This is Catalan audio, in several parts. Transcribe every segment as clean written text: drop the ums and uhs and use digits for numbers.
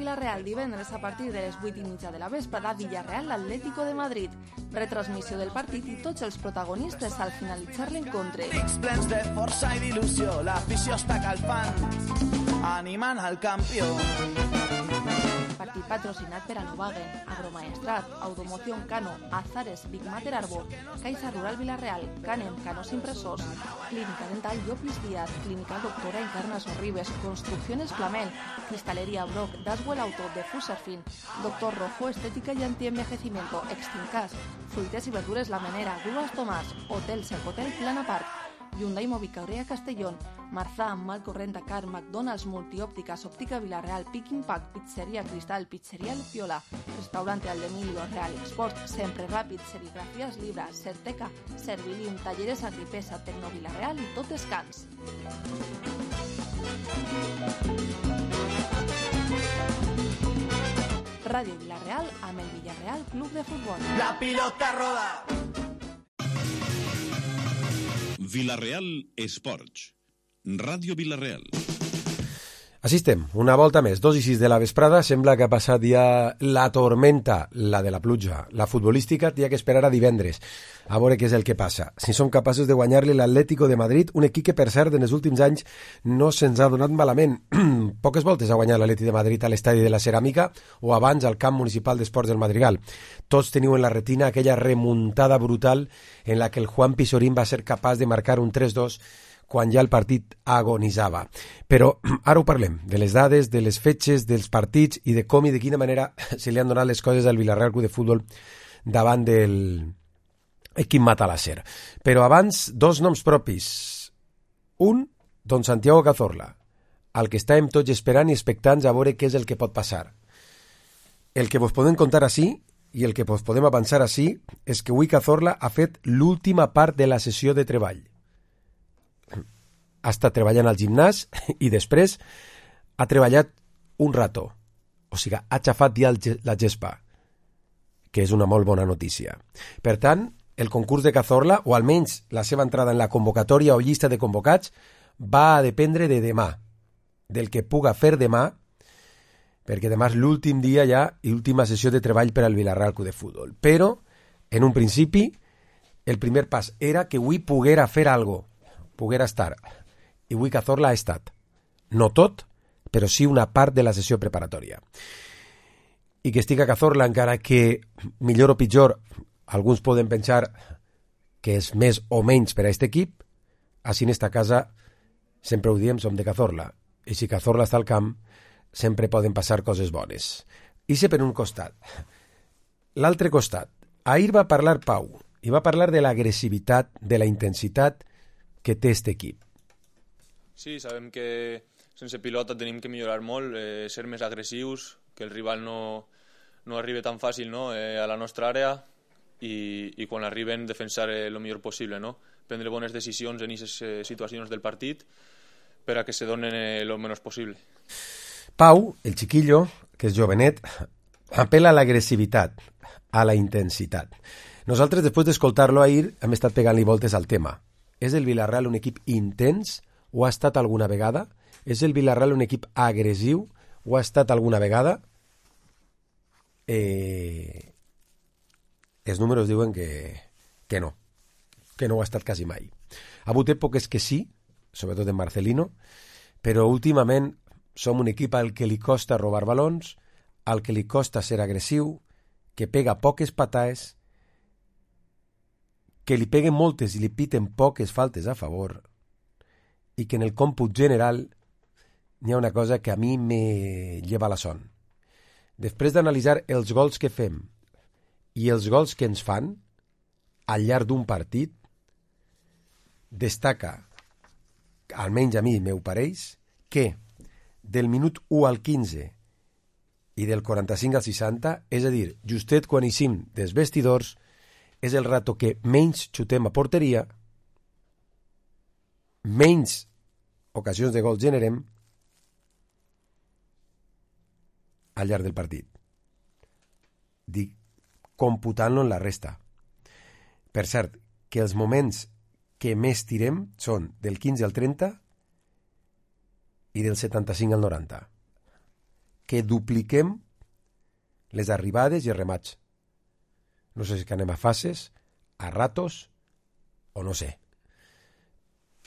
Villarreal divendres a partir de les 8:30 de la vesprada, Villarreal Atlético de Madrid. Retransmissió del partit i tots els protagonistes al finalitzar l'encontre. Pics plens de força i d'il·lusió, l'afició està calfant, animant el campió. Partit patrocinat per Anovagen, Agromaestrat, Automoción Cano, Azares, Big Mater Arbor, Caixa Rural Villarreal, Canem, Canos Impressors, Clínica Dental Llopis Díaz, Clínica Doctora Encarna Sorribes, Construcciones Plamel, Cristalería Brock, Daswell Auto, de Fuserfin, Doctor Rojo, Estética y Antienvejecimiento, Extincas, Fruites y Verdures La Menera, Grúas Tomás, Hotel Sercotel Plana Park, Hyundai Mobicaria Castellón, Marzà, Malcorrent Dakar, McDonald's, Multiópticas, Óptica Villarreal, Pick Impact, Pizzería Cristal, Pizzería Luciola, Restaurante Aldemilio, Real Export, Sempre Ràpid, Serigrafías Libra, Certeca, Servilium, Talleres Agripesa, Tecno Villarreal i tot Descans. Ràdio Villarreal amb el Villarreal Club de Futbol. La pilota roda! Villarreal Esports. Ràdio Villarreal. Així estem, una volta més, 2:06 de la vesprada, sembla que ha passat ja la tormenta, la de la pluja. La futbolística té que esperar a divendres, a veure què és el que passa. Si són capaços de guanyar-li l'Atlético de Madrid, un equip que, per cert, en els últims anys no se'ns ha donat malament. Poques voltes ha guanyat l'Atlético de Madrid a l'estadi de la Ceràmica o abans al camp municipal d'esports del Madrigal. Tots teniu en la retina aquella remuntada brutal en la que el Juan Pizorín va ser capaç de marcar un 3-2 quan ja el partit agonitzava. Però ara ho parlem, de les dades, de les fetges, dels partits i de com i de quina manera se li han donat les coses al Villarreal Club de Futbol davant del equip Matalasser. Però abans, dos noms propis. Un, don Santiago Cazorla, al que estàvem tots esperant i expectants a veure què és el que pot passar. El que vos podem contar així i el que vos podem avançar així és que avui Cazorla ha fet l'última part de la sessió de treball. Ha estat treballant al gimnàs i després ha treballat un rato. O sigui, ha xafat ja la gespa, que és una molt bona notícia. Per tant, el concurs de Cazorla, o almenys la seva entrada en la convocatòria o llista de convocats, va a dependre de demà, del que puga fer demà, perquè demà és l'últim dia ja i l'última sessió de treball per al Villarreal Club de Futbol. Però, en un principi, el primer pas era que avui poguera fer alguna cosa, poguera estar. I avui Cazorla ha estat. No tot, però sí una part de la sessió preparatòria. I que estigui a Cazorla, encara que millor o pitjor, alguns poden pensar que és més o menys per a aquest equip, així en esta casa sempre ho diem, som de Cazorla. I si Cazorla està al camp, sempre poden passar coses bones. I sé per un costat. L'altre costat. Ahir va parlar Pau, i va parlar de l'agressivitat, de la intensitat que té aquest equip. Sí, sabem que sense pilota tenim que millorar molt, ser més agressius, que el rival no arribi tan fàcil, no? A la nostra àrea i quan arriben defensar el millor possible, no? Prendre bones decisions en aquestes situacions del partit per a que se donen el menys possible. Pau, el chiquillo, que és jovenet, apela a l'agressivitat, a la intensitat. Nosaltres, després d'escoltar-lo ahir, hem estat pegant-li voltes al tema. És el Villarreal un equip intens? Ho ha estat alguna vegada? És el Villarreal un equip agressiu? Ho ha estat alguna vegada? Els números diuen que no ho ha estat quasi mai. Ha hagut èpoques que sí, sobretot en Marcelino, però últimament som un equip al que li costa robar balons, al que li costa ser agressiu, que pega poques pataes, que li peguen moltes i li piten poques faltes a favor, i que en el còmput general n'hi ha una cosa que a mi me lleva la son. Després d'analitzar els gols que fem i els gols que ens fan al llarg d'un partit, destaca, almenys a mi m'ho pareix, que del minut 1 al 15 i del 45 al 60, és a dir, justet quan eixim dels vestidors, és el rato que menys xutem a porteria, menys ocasions de gol generem al llarg del partit. Dic, computant-lo en la resta. Per cert, que els moments que més tirem són del 15 al 30 i del 75 al 90. que dupliquem les arribades i els remats. No sé si que anem a fases, a ratos, o no sé.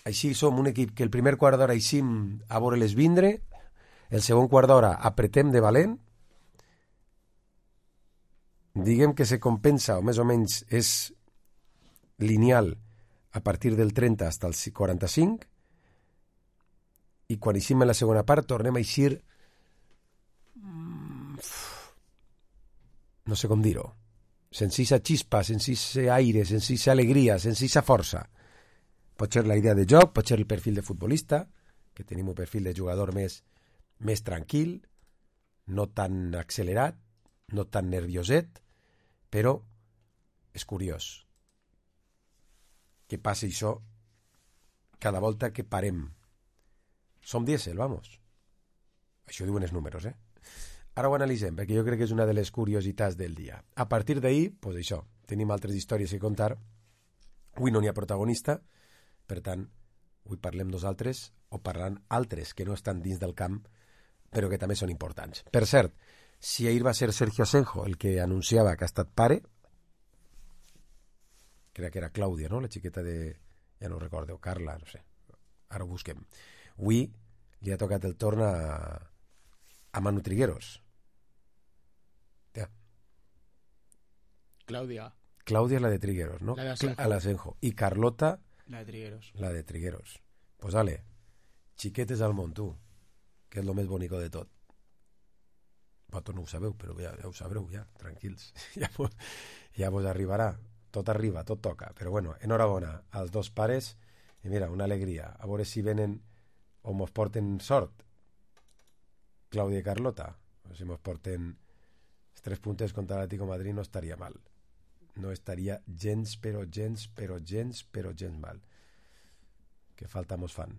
Així som un equip que el primer quart d'hora eixim a veure-les vindre, el segon quart d'hora apretem de valent, diguem que se compensa, o més o menys és lineal a partir del 30 fins al 45, i quan eixim en la segona part tornem a eixir no sé com dir-ho, sense aquesta xispa, sense aquest aire, sense aquesta alegria, sense aquesta força. Pot ser la idea de joc, pot ser el perfil de futbolista, que tenim un perfil de jugador més tranquil, no tan accelerat, no tan nervioset, però és curiós que passi això cada volta que parem. Som dièsel, vamos. Això diuen els números, Ara ho analitzem, perquè jo crec que és una de les curiositats del dia. A partir d'ahir, doncs això, tenim altres històries que contar. Avui no n'hi ha protagonista, per tant, avui parlem nosaltres o parlant altres que no estan dins del camp, però que també són importants. Per cert, si ahir va ser Sergio Asenjo el que anunciava que ha estat pare, crec que era Clàudia, no? La xiqueta de... ja no ho recordo, Carla, no sé. Ara ho busquem. Avui li ha tocat el torn a Manu Trigueros. Ja. Clàudia la de Trigueros, ¿no? La de Asenjo. I Carlota... La de Trigueros. La de Trigueros. Pues dale, xiquetes al món, tu, que és el més bonic de tot. Vosaltres no ho sabeu, però ja ho sabreu, ja, tranquils. Ja vos arribarà. Tot arriba, tot toca. Però bueno, enhorabona als dos pares. I mira, una alegria. A veure si venen o mos porten sort. Clàudia i Carlota. O si mos porten els 3 punts contra l'Atlético de Madrid no estaria mal. No estaria gens mal. Que falta mos fan.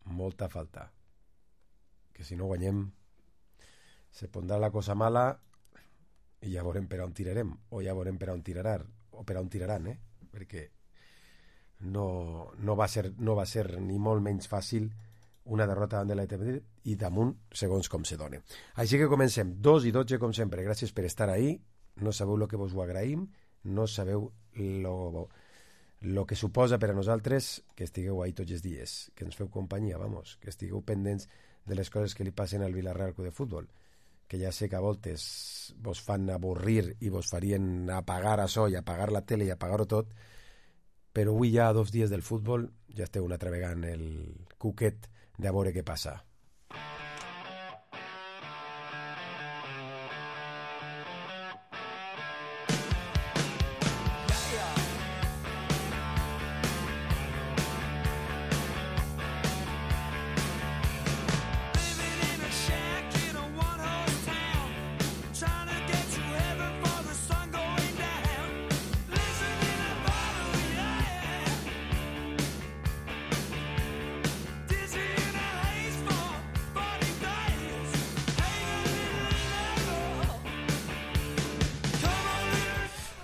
Molta falta. Que si no guanyem se pondrà la cosa mala i ja veurem per on tirarem, o ja veurem per on tiraran, perquè no va ser ni molt menys fàcil una derrota davant de l'Atlètic i damunt segons com se dona. Així que comencem 2:12 com sempre. Gràcies per estar ahí. No sabeu el que vos ho agraïm, no sabeu lo que suposa per a nosaltres que estigueu ahí tots els dies, que ens feu companyia, vamos, que estigueu pendents de les coses que li passen al Villarreal Club de Futbol, que ja sé que a voltes vos fan avorrir i vos farien apagar això i apagar la tele i apagar-ho tot, però avui ja a 2 dies del futbol ja esteu una altra vegada en el cuquet de a veure què passa.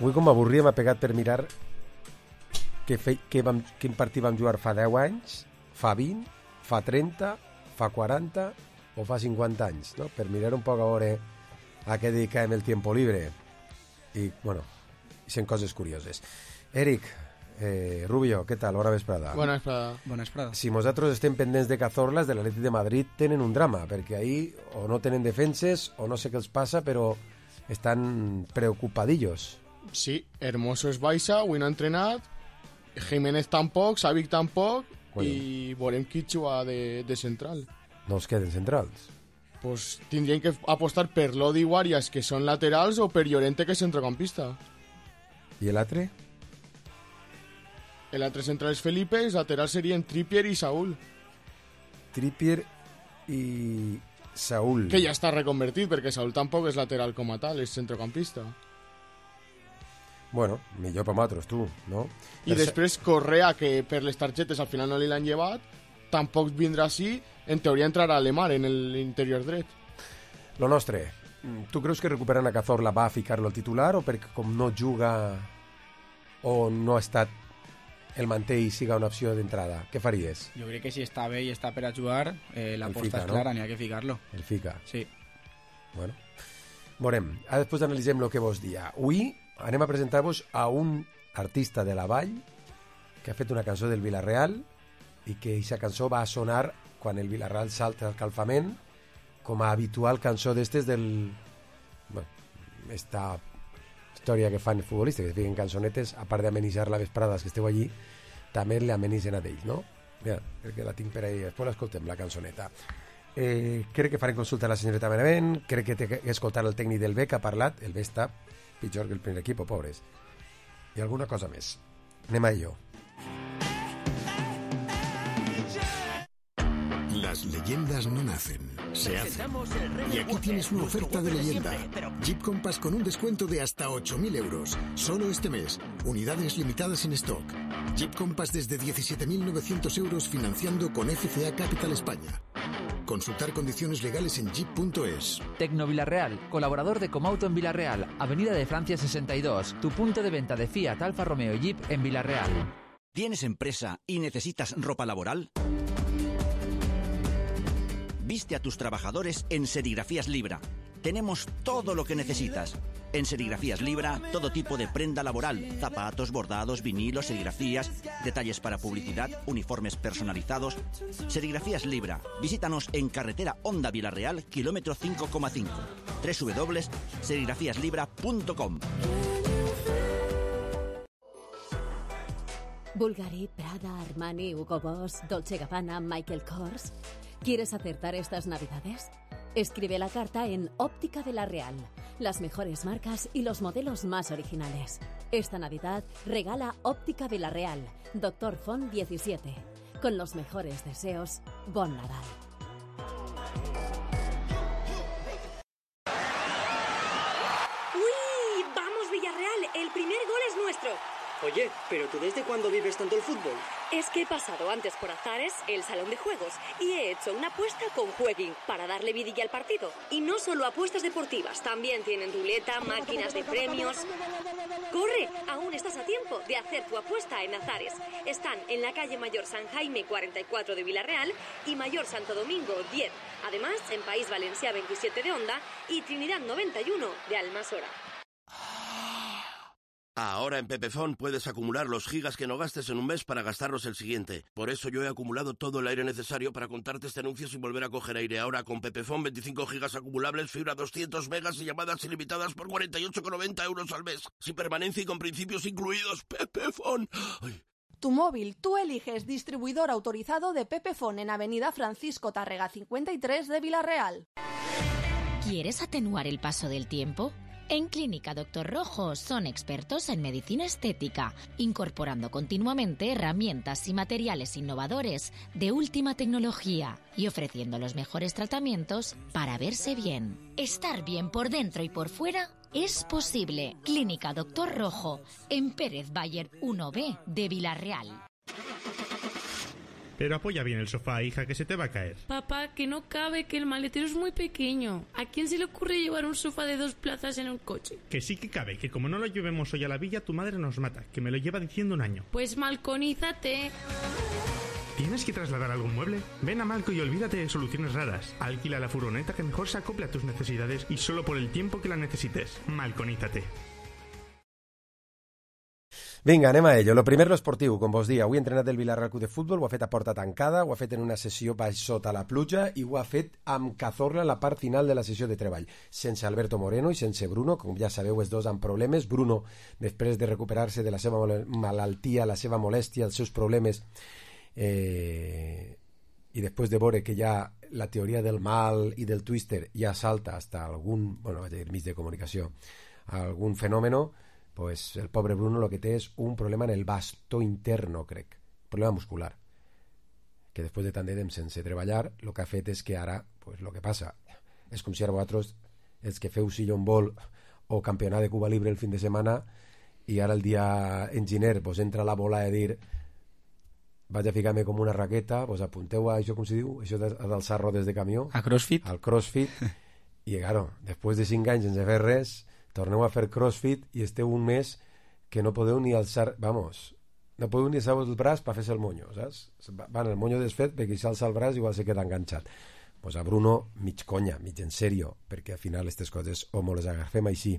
Avui com m'avorria m'ha pegat per mirar quin partit vam jugar fa 10 anys, fa 20, fa 30, fa 40 o fa 50 anys, no? Per mirar un poc a veure a què dediquem el tiempo libre. I, bueno, són coses curioses. Eric, Rubio, què tal? Bona vesprada. Bona vesprada. Si nosaltres estem pendents de Cazorla, de l'Atlètic de Madrid tenen un drama, perquè ahí o no tenen defenses o no sé què els passa, però estan preocupadillos. Sí, Hermoso és baixa, avui no ha entrenat, Jiménez tampoc, Savic tampoc, bueno. I veurem qui juga de central. No els queden centrals? Pues tindrien que apostar per Lodi i Arias, que són laterals, o per Llorente, que és centrocampista. I l'altre? L'altre central és Felipe, els laterals serien Trippier i Saúl. Trippier i Saúl. Que ja està reconvertit, perquè Saúl tampoc és lateral com a tal, és centrocampista. Bueno, millor per nosaltres, tu, no? I després Correa, que per les targetes al final no li l'han llevat, tampoc vindrà així, en teoria entrarà a Lemar en l'interior dret. Lo nostre, tu creus que recuperant a Cazorla va a ficar-lo al titular o perquè com no juga o no ha estat el manté i siga una opció d'entrada? Què faries? Jo crec que si està bé i està per a jugar, l'aposta és clara, n'hi ha que ficar-lo. El fica. Sí. Bueno, veurem. Ara després analitzem el que vos dia. Avui anem a presentar-vos a un artista de la Vall que ha fet una cançó del Vila-real i que aquesta cançó va sonar quan el Vila-real salta al calfament com a habitual cançó d'estes del... Bueno, esta història que fan els futbolistes, que fiquen cançonetes, a part d'amenitzar la vesprada que esteu allí, també l'amenitzen a d'ells, no? Mira, crec que la tinc per ahí, després l'escoltem, la cançoneta. Crec que farem consulta a la senyoreta Benavent, crec que té que escoltar el tècnic del B que ha parlat, el B està pitjor que el primer equip, pobres. I alguna cosa més. Anem a ello. Las leyendas no nacen, se hacen. Y aquí tienes una oferta de leyenda. Jeep Compass con un descuento de hasta 8.000 euros. Solo este mes. Unidades limitadas en stock. Jeep Compass desde 17.900 euros financiando con FCA Capital España. Consultar condiciones legales en jeep.es. Tecno Villarreal, colaborador de Comauto en Villarreal, Avenida de Francia 62, tu punto de venta de Fiat, Alfa Romeo y Jeep en Villarreal. ¿Tienes empresa y necesitas ropa laboral? Viste a tus trabajadores en Serigrafías Libra. Tenemos todo lo que necesitas. En Serigrafías Libra, todo tipo de prenda laboral, zapatos, bordados, vinilos, serigrafías, detalles para publicidad, uniformes personalizados. Serigrafías Libra. Visítanos en carretera Honda Villarreal, kilómetro 5,5. www.serigrafíaslibra.com. Bulgari, Prada, Armani, Hugo Boss, Dolce & Gabbana, Michael Kors. ¿Quieres acertar estas navidades? Escribe la carta en Óptica Villarreal. Las mejores marcas y los modelos más originales. Esta Navidad regala Óptica Villarreal, Dr. Font 17. Con los mejores deseos, Bon Nadal. ¡Uy! ¡Vamos, Villarreal! El primer gol es nuestro. Oye, ¿pero tú desde cuándo vives tanto el fútbol? Es que he pasado antes por Azares, el salón de juegos, y he hecho una apuesta con Jueguin para darle vidilla al partido. Y no solo apuestas deportivas, también tienen ruleta, máquinas de premios. ¡Corre! Aún estás a tiempo de hacer tu apuesta en Azares. Están en la calle Mayor San Jaime 44 de Villarreal y Mayor Santo Domingo 10. Además, en País Valencià 27 de Onda y Trinidad 91 de Almasora. Ahora en Pepefon puedes acumular los gigas que no gastes en un mes para gastarlos el siguiente. Por eso yo he acumulado todo el aire necesario para contarte este anuncio sin volver a coger aire. Ahora con Pepefon 25 gigas acumulables, fibra 200 megas y llamadas ilimitadas por 48,90 euros al mes. Sin permanencia y con principios incluidos. Pepefon. Ay. Tu móvil, tú eliges distribuidor autorizado de Pepefon en Avenida Francisco Tárrega 53 de Villarreal. ¿Quieres atenuar el paso del tiempo? En Clínica Dr. Rojo son expertos en medicina estética, incorporando continuamente herramientas y materiales innovadores de última tecnología y ofreciendo los mejores tratamientos para verse bien. Estar bien por dentro y por fuera es posible. Clínica Dr. Rojo, en Pérez Bayer 1B de Villarreal. Pero apoya bien el sofá, hija, que se te va a caer. Papá, que no cabe, que el maletero es muy pequeño. ¿A quién se le ocurre llevar un sofá de 2 plazas en un coche? Que sí que cabe, que como no lo llevemos hoy a la villa, tu madre nos mata, que me lo lleva diciendo un año. Pues malconízate. ¿Tienes que trasladar algún mueble? Ven a Malco y olvídate de soluciones raras. Alquila la furgoneta que mejor se acople a tus necesidades y solo por el tiempo que la necesites. Malconízate. Vinga, anem a ello. Lo primer, lo esportiu, com vos dia. Avui entrenat del Villarreal Club de Futbol, ho ha fet a porta tancada, ho ha fet en una sessió baix sota la pluja i ho ha fet amb Cazorla a la part final de la sessió de treball. Sense Alberto Moreno i sense Bruno, com ja sabeu, els dos amb problemes. Bruno, després de recuperar-se de la seva malaltia, la seva molèstia, els seus problemes, i després de veure que ja la teoria del mal i del twister ja salta hasta algun, bueno, vaig a dir, mig de comunicació, algun fenòmeno, pues el pobre Bruno lo que té és un problema en el bastó interno, crec, problema muscular, que després de tant de temps sense treballar, el que ha fet és que ara, pues lo que passa, és com si ara vosaltres, els que feu sillon ball o campionat de Cuba Libre el fin de setmana, i ara el dia enginyer vos entra la bola de dir vaig a ficar-me com una raqueta, vos apunteu a això, com se diu, això d'alçar rodes de camió, a CrossFit, al CrossFit, i claro, després de 5 anys sense fer res, torneu a fer CrossFit i esteu un mes que no podeu ni alçar, vamos, no podeu ni alçar el braç per fer-se el monyo, saps? Van, el monyo desfet, perquè si alça el braç igual se queda enganxat. pues a Bruno mig conya, mig en sèrio, perquè al final aquestes coses o me les agafem així,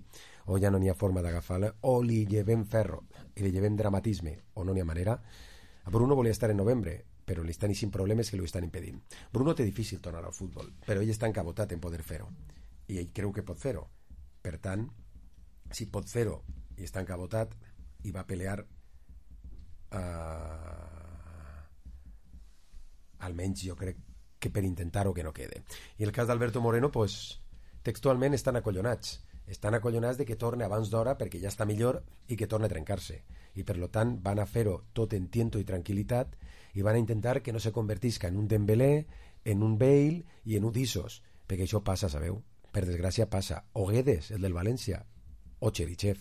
o ja no n'hi ha forma d'agafar-la, o li llevem ferro, i li llevem dramatisme, o no n'hi ha manera. A Bruno volia estar en novembre, però li estan eixint problemes que li ho estan impedint. Bruno té difícil tornar al futbol, però ell està encabotat en poder fer-ho, i ell creu que pot fer-ho. Per tant, si pot fer-ho i està encabotat, i va pelear almenys jo crec que per intentar-ho que no quede. I el cas d'Alberto Moreno, pues, textualment estan acollonats de que torne abans d'hora perquè ja està millor i que torne a trencar-se, i per lo tant van a fer-ho tot en tiento i tranquil·litat i van a intentar que no se convertisca en un Dembélé, en un Bale i en un d'Isos, perquè això passa, sabeu, per desgràcia passa. O Guedes, el del València, o Cherichev,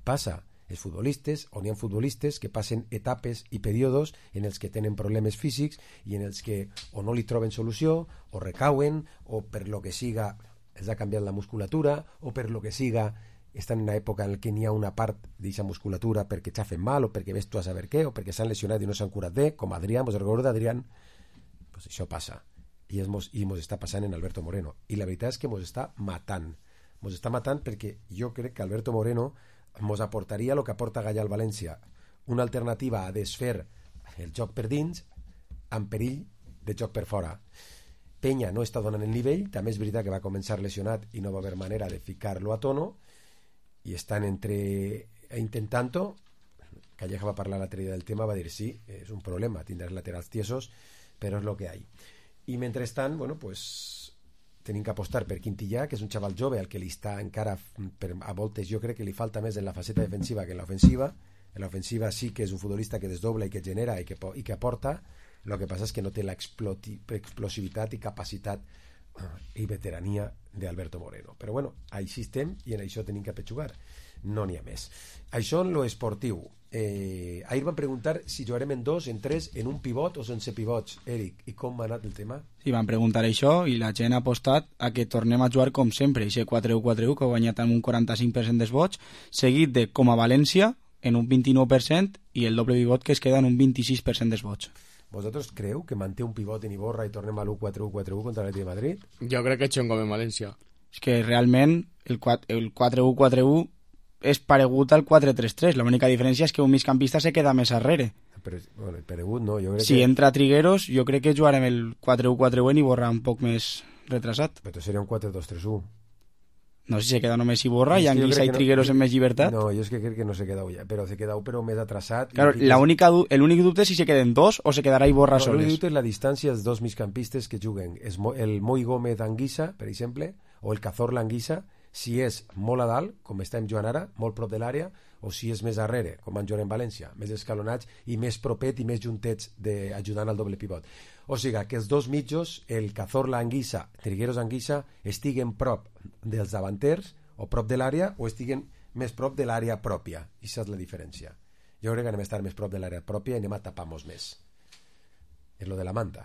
passa. Els futbolistes, on hi ha futbolistes que passen etapes i períodes en els que tenen problemes físics i en els que o no li troben solució, o recauen, o per lo que siga els ha canviat la musculatura, o per lo que siga estan en una època en què n'hi ha una part d'aquesta musculatura perquè xafen mal, o perquè ves tu a saber què, o perquè s'han lesionat i no s'han curat bé, com Adrián, vos recordo d'Adrián, pues això passa. I mos està passant en Alberto Moreno. I la veritat és que mos està matant. Mos està matant perquè jo crec que Alberto Moreno mos aportaria el que aporta Gallà al València, una alternativa a desfer el joc per dins amb perill de joc per fora. Peña no està donant el nivell, també és veritat que va començar lesionat i no va haver manera de ficar-lo a tono, i estan intentant-ho. Calleja va parlar l'altre dia del tema, va dir sí, és un problema, tindràs laterals tiesos, però és el que hi ha. I mentrestant, bueno, pues tenim que apostar per Quintillà, que és un xaval jove al que li està encara, a voltes jo crec que li falta més en la faceta defensiva que en l'ofensiva. En l'ofensiva sí que és un futbolista que desdobla i que genera i que aporta. El que passa és que no té l'explosivitat i capacitat i veterania d'Alberto Moreno. Però bueno, així estem i en això tenim que apetxugar. No n'hi ha més. Això en lo esportiu. Ahir van preguntar si jugarem en 2, en 3, en un pivot o sense pivots. Eric, i com ha anat el tema? Sí, van preguntar això i la gent ha apostat a que tornem a jugar com sempre, i 4-1-4-1 que ha guanyat amb un 45% dels vots, seguit de com a València en un 29% i el doble pivot que es queda en un 26% dels vots. Vosaltres creu que manté un pivot en Iborra i tornem a l'1-4-1-4-1 contra l'Atlètic de Madrid? Jo crec que eixem com en València. És que realment el 4-1-4-1 és paregut al 4-3-3, l'única diferència és que un migcampista se queda més arrere. Però, bueno, paregut no, jo crec si entra Trigueros, jo crec que jugarem el 4-1-4-1 i Iborra un poc més retrasat. Però seria un 4-2-3-1. No sé si se queda només Iborra i Anguissa i Trigueros en més llibertat. No, jo és que crec que no se queda ja, però se queda però més atrasat. Claro, l'únic dubte és si se queden dos o se quedarà Iborra soles. L'únic dubte és la distància dels dos migcampistes que juguen. El Moi Gómez Anguissa, per exemple, o el Cazorla Anguissa, si és molt a dalt, com estem jugant ara, molt prop de l'àrea, o si és més arrere, com van jugar en València, més escalonats i més propet i més juntets ajudant al doble pivot. O sigui, que els dos mitjos, el Cazorla Anguissa, Trigueros Anguissa, estiguen prop dels davanters o prop de l'àrea o estiguen més prop de l'àrea pròpia. I això és la diferència. Jo crec que anem a estar més prop de l'àrea pròpia i anem a tapar-nos més. És lo de la manta.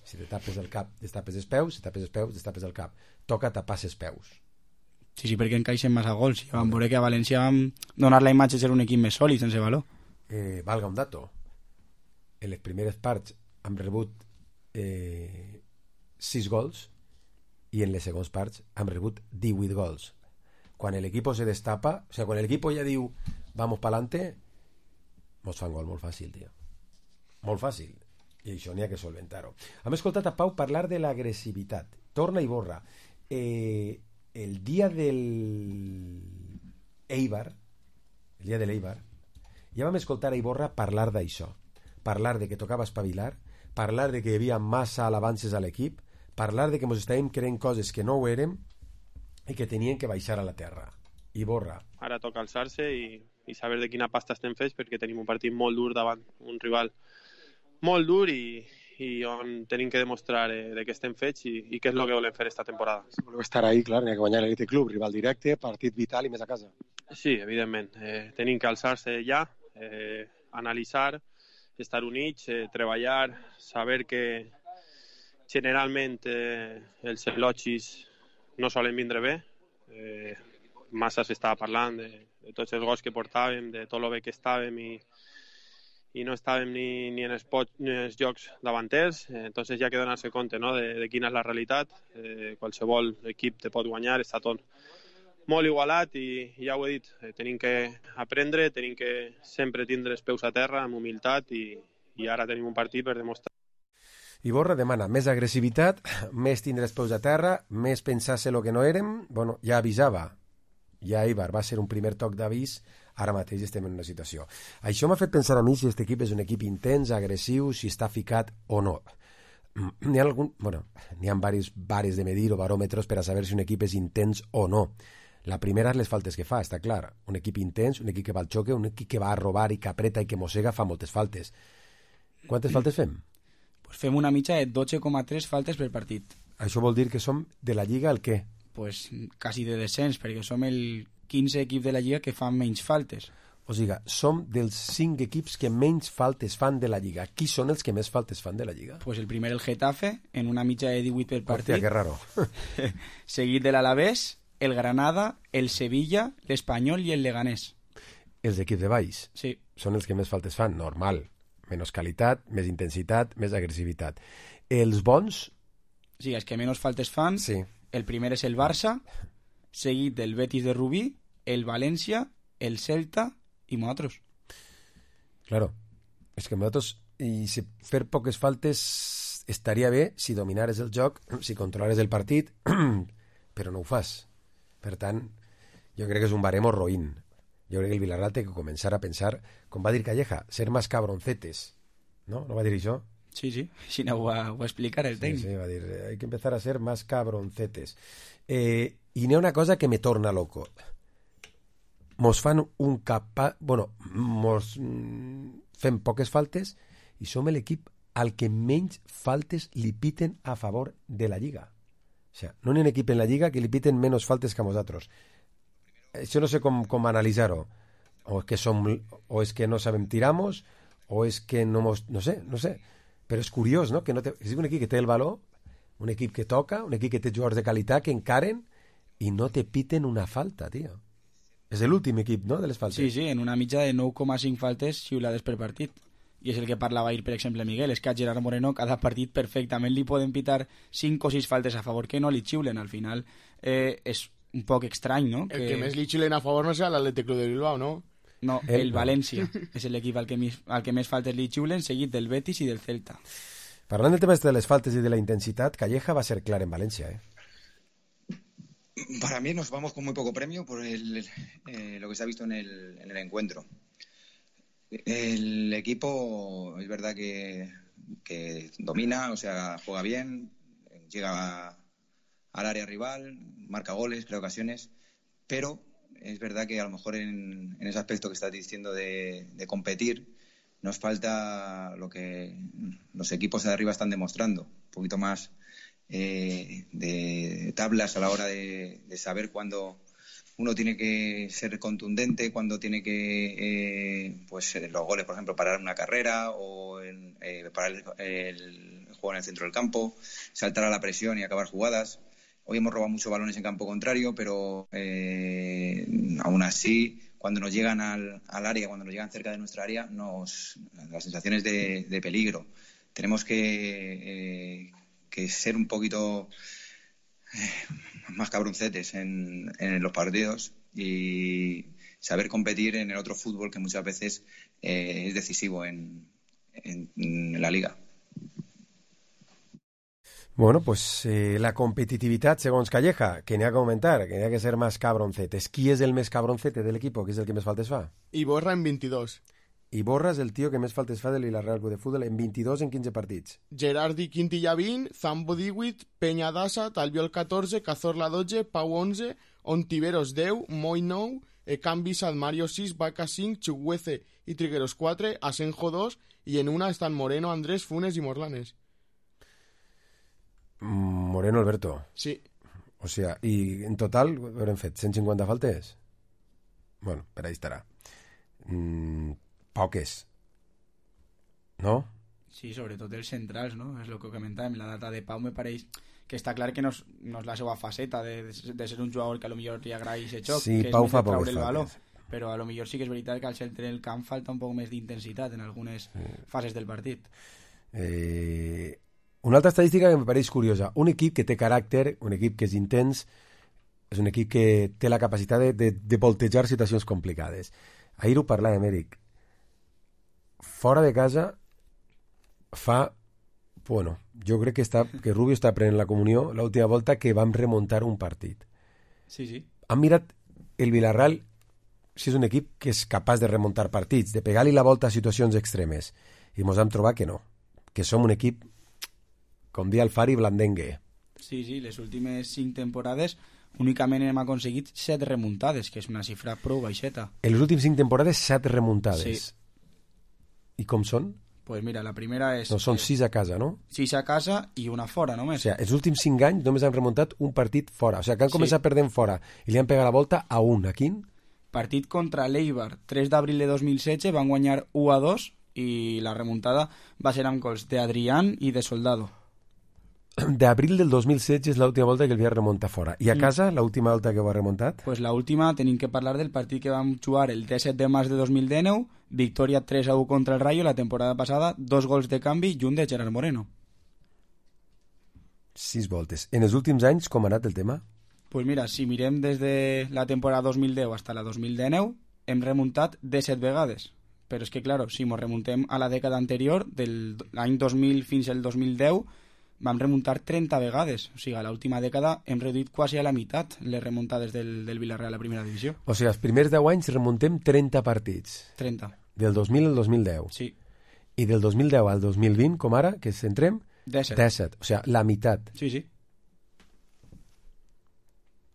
Si te tapes el cap, te tapes els peus, si tapes els peus, te tapes el cap. Toca tapar els peus. Sí, perquè encaixen massa gols. I vam veure que a València vam donar la imatge de ser un equip més sòlid sense valor. Valga un dato. En les primeres parts hem rebut 6 gols i en les segones parts hem rebut 18 gols. Quan l'equip se destapa, o sigui, quan l'equip ja diu vamos pa'lante, mos fan gol molt fàcil, tio. Molt fàcil. I això n'hi ha que solventar-ho. Hem escoltat a Pau parlar de l'agressivitat. Torna i Iborra. El dia del Eibar, ja vam escoltar a Iborra parlar d'això, parlar de que tocava espavilar, parlar de que hi havia massa alabances a l'equip, parlar de que ens estàvem creent coses que no ho érem i que tenien que baixar a la terra. Iborra. Ara toca alçar-se i saber de quina pasta estem fets, perquè tenim un partit molt dur davant, un rival molt dur i on tenim que demostrar de què estem fets i què és el que volem fer esta temporada. Si voleu estar ahí, clar, n'hi ha que guanyar l'Elite Club, rival directe, partit vital i més a casa. Sí, evidentment. Tenim que alçar-se ja, analitzar, estar units, treballar, saber que generalment els elogis no solen vindre bé. Massa s'estava parlant de tots els gols que portàvem, de tot el bé que estàvem i no estàvem ni en els jocs davanters, entonces ja que donar-se compte, no, de quina és la realitat. Qualsevol equip te pot guanyar, està tot molt igualat i ja ho he dit, tenim que aprendre, tenim que sempre tindre els peus a terra amb humilitat i ara tenim un partit per demostrar. Iborra demana més agressivitat, més tindre els peus a terra, més pensar-se el que no érem. Bueno, ja avisava, ja Eibar va ser un primer toc d'avís, ara mateix estem en una situació. Això m'ha fet pensar a mi si aquest equip és un equip intens, agressiu, si està ficat o no. N'hi ha diversos bares de medir o baròmetres per a saber si un equip és intens o no. La primera és les faltes que fa, està clar. Un equip intens, un equip que va al xoque, un equip que va a robar i que apreta i que mossega, fa moltes faltes. Quantes faltes fem? Pues fem una mitja de 12,3 faltes per partit. Això vol dir que som de la Lliga el què? Pues quasi de descens, perquè som el 15 equip de la Lliga que fan menys faltes. O sigui, som dels 5 equips que menys faltes fan de la Lliga. Qui són els que més faltes fan de la Lliga? Pues el primer el Getafe, en una mitja de 18 per partit. Hòstia, que raro. Seguit de l'Alavés, el Granada, el Sevilla, l'Espanyol i el Leganés. Els equips de baix? Sí. Són els que més faltes fan, normal. Menys qualitat, més intensitat, més agressivitat. Els bons? Sí, els que menys faltes fan. Sí. El primer és el Barça, seguit del Betis de Rubí, el València, el Celta i nosaltres. Claro. És que nosaltres, i si fer poques faltes estaria bé si dominares el joc, si controlares el partit, però no ho fas. Per tant, jo crec que és un baremo roïn. Jo crec que el Villarreal té que començar a pensar, com va dir Calleja, ser más cabroncetes. ¿No? ¿No va dir això? Sí, sí. Si no ho va explicar el tècnic. Sí, va dir, hay que empezar a ser más cabroncetes. I n'hi ha una cosa que me torna loco. Mos fan un mos fem poques faltes i som l'equip al que menys faltes li piten a favor de la Lliga. O sea, no hi ha un equip en la Lliga que li piten menys faltes que a nosaltres. Això no sé com analitzar-ho. O és que no sabem tiramos, o és que no sé. Però és curiós, no? Que és un equip que té el valor, un equip que toca, un equip que té jugadors de qualitat que encaren i no te piten una falta, tio. És l'últim equip, no?, de les faltes. Sí, sí, en una mitja de 9,5 faltes xiulades per partit. I és el que parlava ahir, per exemple, Miguel, és que a Gerard Moreno cada partit perfectament li poden pitar 5 o 6 faltes a favor que no li xiulen. Al final és un poc estrany, no? El que més li xiulen a favor no serà l'Atlètic Club de Bilbao, no? No, el València és l'equip al que més faltes li xiulen, seguit del Betis i del Celta. Parlant del tema de les faltes i de la intensitat, Calleja va ser clar en Valencia, Para mí nos vamos con muy poco premio por lo que se ha visto en el encuentro. El equipo es verdad que domina, o sea, juega bien, llega al área rival, marca goles, crea ocasiones, pero es verdad que a lo mejor en ese aspecto que estás diciendo de competir nos falta lo que los equipos de arriba están demostrando, un poquito más de tablas a la hora de saber cuándo uno tiene que ser contundente, cuando tiene que, los goles, por ejemplo, parar una carrera o parar el juego en el centro del campo, saltar a la presión y acabar jugadas. Hoy hemos robado muchos balones en campo contrario, pero aún así, cuando nos llegan al área, cuando nos llegan cerca de nuestra área, las sensaciones de peligro. Tenemos que ser un poquito más cabroncetes en los partidos y saber competir en el otro fútbol que muchas veces es decisivo en la Liga. Bueno, pues la competitivitat, segons Calleja, que n'hi ha que augmentar, que n'hi ha que ser más cabroncetes. Qui és el més cabroncete del equipo? Qui és el que més faltes fa? Iborra en 22. Iborra és el tio que més faltes fa del Villarreal Club de Futbol en 22 en 15 partits. Gerardi Quintilla 20, Zambo 18, Peña Dassa, Talbiol 14, Cazorla 12, Pau 11, Ontiveros 10, Moi 9, Ekambi Mario 6, Vaca 5, Chuguece y Trigueros 4, Asenjo 2 y en una están Moreno, Andrés, Funes y Morlanes. Moreno Alberto. Sí. O sea, i en total haurem fet 150 faltes? Bueno, per ahí estarà. Poques. No? Sí, sobretot els centrals, no? És el que comentàvem. La data de Pau me pareix que està clar que no és la seva faceta de ser un jugador que a lo millor li agrada aquest xoc, sí, que Pau és fa traure el poques valor. faltes. però a lo millor sí que és veritat que al centre del camp falta un poc més d'intensitat en algunes fases del partit. Una altra estadística que em pareix curiosa. Un equip que té caràcter, un equip que és intens, és un equip que té la capacitat de voltejar situacions complicades. Ahir ho parlàvem, Eric. Fora de casa Bueno, jo crec que Rubio està prenent la comunió l'última volta que vam remuntar un partit. Sí. Han mirat el Villarreal, si és un equip que és capaç de remuntar partits, de pegar-li la volta a situacions extremes, i mos hem trobat que no, que som un equip, com dia el Fari, blandengue. Sí, les últimes 5 temporades únicament hem aconseguit 7 remuntades, que és una xifra prou baixeta. En les últimes 5 temporades 7 remuntades. Sí. I com són? Pues mira, la primera és... No, són 6 a casa, no? 6 a casa i una fora, només. O sigui, els últims 5 anys només han remuntat un partit fora. O sigui, que han començat perdent fora i li han pegat la volta a un. A quin? Partit contra l'Eibar, 3 d'abril de 2016, van guanyar 1-2 i la remuntada va ser amb gols d'Adrián i de Soldado. D'abril del 2016 és l'última volta que el havia remuntat fora. I a casa, l'última volta que ho ha remuntat? Pues l'última tenim que parlar del partit que vam jugar el 17 de març de 2019, victòria 3-1 contra el Rayo la temporada passada, 2 gols de canvi i un de Gerard Moreno. 6 voltes. En els últims anys, com ha anat el tema? Pues mira, si mirem des de la temporada 2010 fins a la 2019, hem remuntat 17 vegades. Però és que, claro, si ens remuntem a la dècada anterior, del l'any 2000 fins al 2010, vam remuntar 30 vegades. O sigui, a l'última dècada hem reduït quasi a la meitat les remuntades del Villarreal a la primera divisió. O sigui, els primers 10 anys remuntem 30 partits. 30. Del 2000 al 2010. Sí. I del 2010 al 2020, com ara, que centrem? 17. O sigui, la meitat. Sí.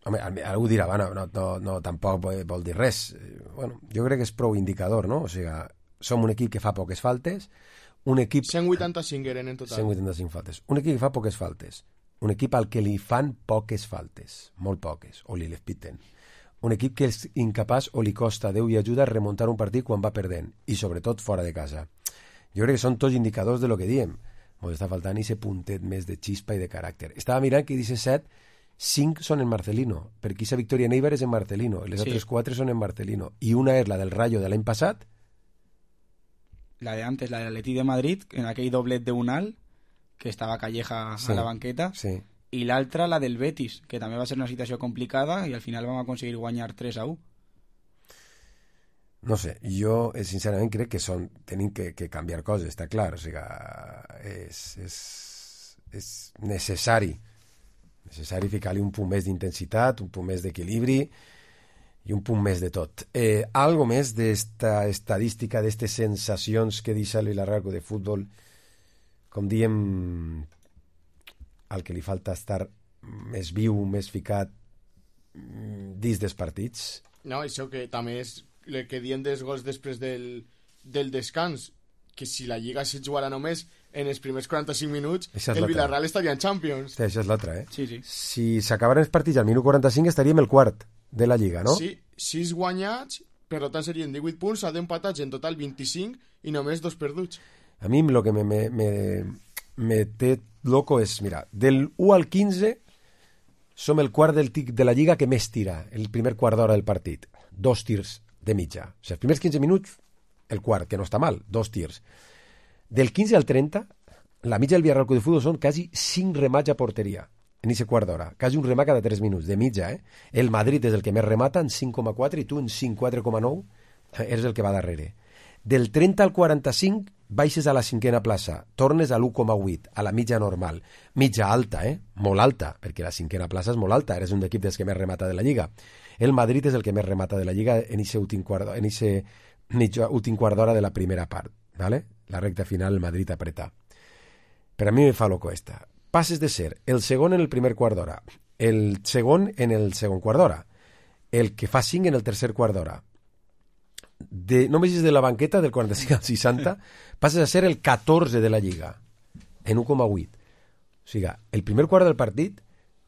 Home, algú dirà, no, tampoc vol dir res. Bueno, jo crec que és prou indicador, no? O sigui, som un equip que fa poques faltes, un equip... 185 eren en total. 185 faltes. Un equip que fa poques faltes. Un equip al que li fan poques faltes. Molt poques. O li les piten. Un equip que és incapaç o li costa Déu i ajuda a remuntar un partit quan va perdent. I sobretot fora de casa. Jo crec que són tots indicadors de lo que diem. Ens està faltant ese puntet més de xispa i de caràcter. Estava mirant que 17, 5 són en Marcelino. Perquè aquesta victòria en Eibar és en Marcelino. I les altres 4 són en Marcelino. I una és la del Rayo de l'any passat, la de antes, la de l'Atleti de Madrid, en aquell doblet de Unal, que estava Calleja a la banqueta, i l'altra, la del Betis, que també va ser una situació complicada i al final vam aconseguir guanyar 3-1. No sé, jo sincerament crec que tenim que canviar coses, està clar, o sigui, és necessari ficar-li un punt més d'intensitat, un punt més d'equilibri i un punt més de tot. Algo més d'esta estadística, d'estes sensacions que deixa el Villarreal de futbol, com diem, al que li falta estar més viu, més ficat dins dels partits. No, això que també és el que diem dels gols després del descans, que si la Lliga se jugara només en els primers 45 minuts, el Villarreal estaria en Champions. Sí, això és l'altra, Sí. Si s'acabaran els partits al minut 45 estaríem el quart de la Lliga, no? Sí, 6 guanyats, per tant serien 18 punts, a 10 empatats, en total 25, i només 2 perduts. A mi el que me té loco és, mira, del 1 al 15 som el quart de la Lliga que més tira, el primer quart d'hora del partit. 2 tirs de mitja. O sigui, els primers 15 minuts, el quart, que no està mal, 2 tirs. Del 15 al 30, la mitja del Villarreal de Futbol són quasi 5 remats a porteria. En aquest quart d'hora, quasi un remat cada 3 minuts, de mitja, El Madrid és el que més remata, en 5,4, i tu en 5,4,9 eres el que va darrere. Del 30 al 45 baixes a la 5a plaça, tornes a l'1,8, a la mitja normal. Mitja alta, molt alta, perquè la 5a plaça és molt alta, eres un equip dels que més remata de la Lliga. El Madrid és el que més remata de la Lliga en aquest últim quart d'hora de la primera part, ¿vale? La recta final el Madrid apreta. Per a mi me fa loco esta. Passes de ser el segon en el primer quart d'hora, el segon en el segon quart d'hora, el que fa 5 en el tercer quart d'hora. Només és de la banqueta, del 45 al 60, passes a ser el 14 de la Lliga, en 1,8. O sigui, el primer quart del partit,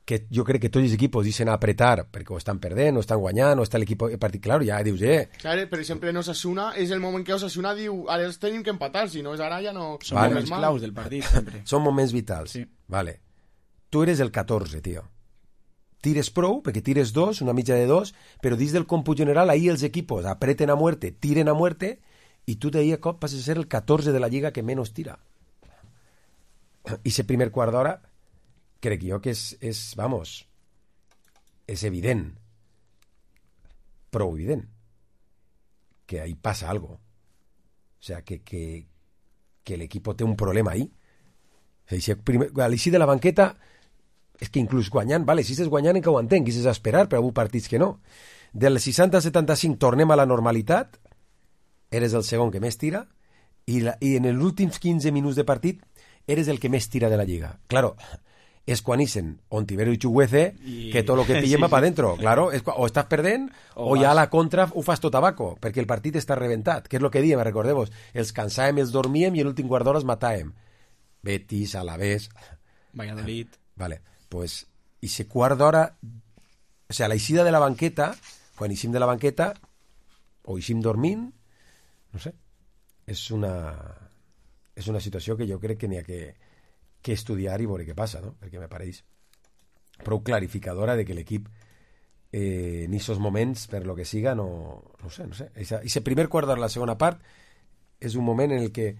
que jo crec que tots els equips deixen apretar, perquè ho estan perdent, o estan guanyant, o està l'equip partit clar, ja dius, Clar, per exemple, en Osasuna, és el moment que Osasuna diu, ara els tenim que empatar, si no és ara ja no... Són moments claus del partit, sempre. Són moments vitals. Sí. Vale. Tu eres el 14, tio. tires prou, perquè tires 2, una mitja de 2, però dins del còmput general, ahí els equipos apreten a muerte, tiren a muerte, i tu d'ahí a cop passes a ser el 14 de la lliga que menys tira. I ese primer quart d'hora, crec jo que és evident, prou evident, que ahí passa algo. O sea, que el equipo té un problema ahí. O sigui, a l'eixir de la banqueta, és que inclús guanyant, vale, si estàs guanyant encara ho entenc, quis esperar, però hi ha partits que no. Del 60 al 75 tornem a la normalitat, eres el segon que més tira, i en els últims 15 minuts de partit eres el que més tira de la lliga. Claro, és quan ixen Ontivero i Chuguece que tot el que pillem va pa dentro. Claro, o estàs perdent o ja a la contra ho fas tot abaco, perquè el partit està reventat, que és el que diem, recordeu-vos, els cansàvem, els dormíem i l'últim quart d'hora els matàvem. Betis, Alavés... Valladolid... Vale, pues, i se quart d'hora... O sea, la eixida de la banqueta, quan eixim de la banqueta, o eixim dormint, no sé, és una situació que jo crec que n'hi ha que estudiar i veure què passa, no? Perquè me pareix prou clarificadora de que l'equip en aquests moments, per lo que siga, no sé. Ese primer quart d'hora, la segona part, és un moment en el que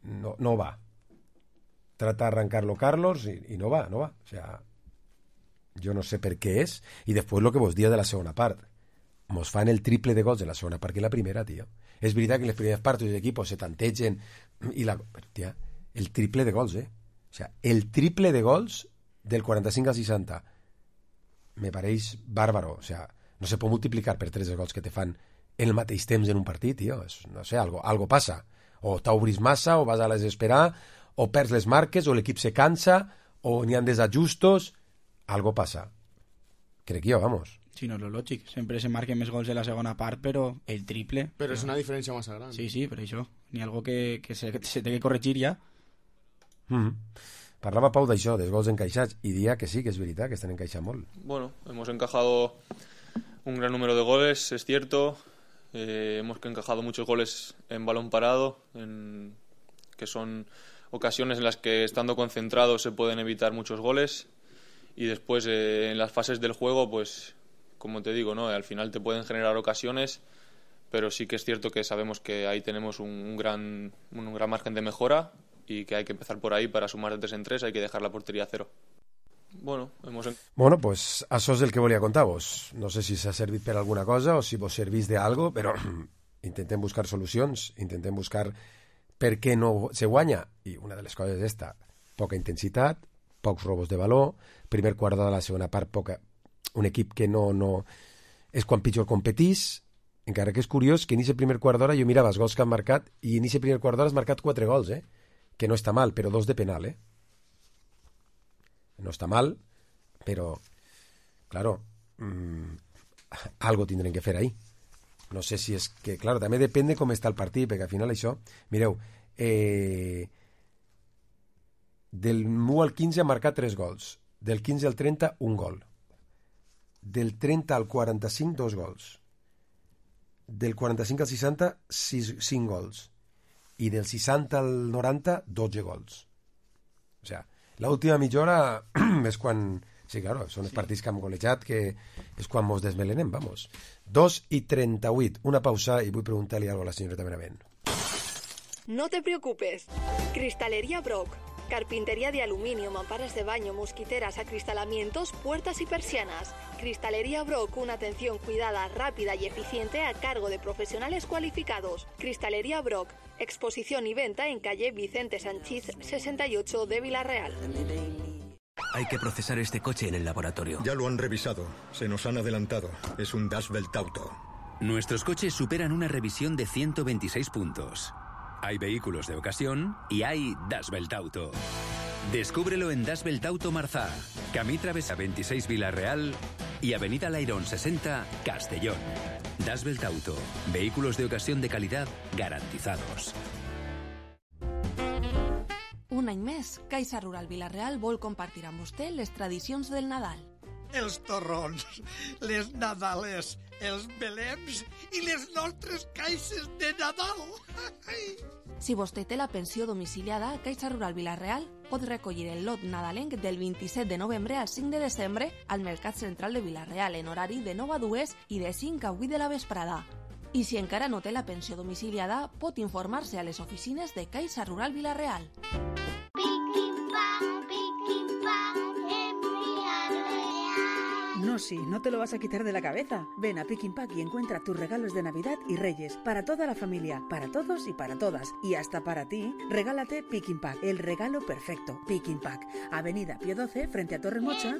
no va. Trata d'arrancar-lo Carlos i no va. O sea, jo no sé per què és. I després lo que vos dia de la segona part. Mos fan el triple de gols de la segona part que la primera, tio. És veritat que en les primeres parts els equipos se tantegen però, tia, el triple de gols, O sea, el triple de gols del 45 al 60 me pareix bàrbaro. O sea, no se pot multiplicar per 3 els gols que te fan en el mateix temps en un partit, tio. No sé, algo passa. O t'obris massa, o vas a desesperar, o perds les marques, o l'equip se cansa, o n'hi ha desajustos. Algo passa. Crec jo, vamos. Sí, no, lo lògic. Sempre se marquen més gols de la segona part, però el triple... Però és una diferència massa gran. Sí, per això. Ni algo que se té que corregir ja. Parlava Pau d'això, dels gols encaixats, i dia que sí, que és veritat, que estan encaixant molt. Bueno, hemos encajado un gran número de goles, es cierto. Hemos encajado muchos goles en balón parado, que son ocasiones en las que estando concentrados se pueden evitar muchos goles. Y después en las fases del juego, pues como te digo, ¿no? Al final te pueden generar ocasiones, pero sí que es cierto que sabemos que ahí tenemos un gran margen de mejora y que hay que empezar por ahí para sumar de 3 en 3, hay que dejar la portería a 0. Bueno, pues això és el que volia contar-vos. No sé si s'ha servit per alguna cosa o si vos servís d'algo, però intentem buscar solucions, intentem buscar per què no se guanya. I una de les coses és esta, poca intensitat, pocs robos de valor, primer quart de la segona part, un equip que no és quan pitjor competís, encara que és curiós que en aquest primer quart d'hora jo mirava els gols que han marcat i en aquest primer quart d'hora has marcat 4 gols, que no està mal, però 2 de penal, No està mal, però, claro, algo tindrem que fer ahí. No sé si és que, claro, també depèn de com està el partit, perquè al final això, mireu, del 1 al 15 ha marcat 3 gols, del 15 al 30 un gol, del 30 al 45 2 gols, del 45 al 60 5 gols i del 60 al 90 12 gols. O sea, l'última mitja hora és quan... Sí, claro, són els partits que hem golejat, que és quan mos desmelenem, vamos. 2:38, una pausa i vull preguntar-li alguna cosa a la señorita Benavent. No te preocupes. Cristalería Brock. Carpintería de aluminio, mamparas de baño, mosquiteras, acristalamientos, puertas y persianas. Cristalería Brock, una atención cuidada, rápida y eficiente a cargo de profesionales cualificados. Cristalería Brock, exposición y venta en calle Vicente Sanchís 68 de Villarreal. Hay que procesar este coche en el laboratorio. Ya lo han revisado. Se nos han adelantado. Es un Das Welt Auto. Nuestros coches superan una revisión de 126 puntos. Hay vehículos de ocasión y hay Das Welt Auto. Descúbrelo en Das Welt Auto Marzá, Camí Travesa 26 Villarreal y Avenida Lairón 60 Castellón. Das Welt Auto. Vehículos de ocasión de calidad garantizados. Un any més, Caixa Rural Vila-real vol compartir amb vostè les tradicions del Nadal. Els torrons, les nadales, els belems i les nostres caixes de Nadal. Si vostè té la pensió domiciliada, Caixa Rural Vila-real pot recollir el lot nadalenc del 27 de novembre al 5 de desembre al Mercat Central de Vila-real en horari de 9 a 2 i de 5 a 8 de la vesprada. I si encara no té la pensió domiciliada, pot informar-se a les oficines de Caixa Rural Vila-real. No, sí, no te lo vas a quitar de la cabeza. Ven a Pick Pack y encuentra tus regalos de Navidad y Reyes para toda la familia, para todos y para todas. Y hasta para ti, regálate Pick Pack, el regalo perfecto. Pick Pack, Avenida Pío 12, frente a Torremocha.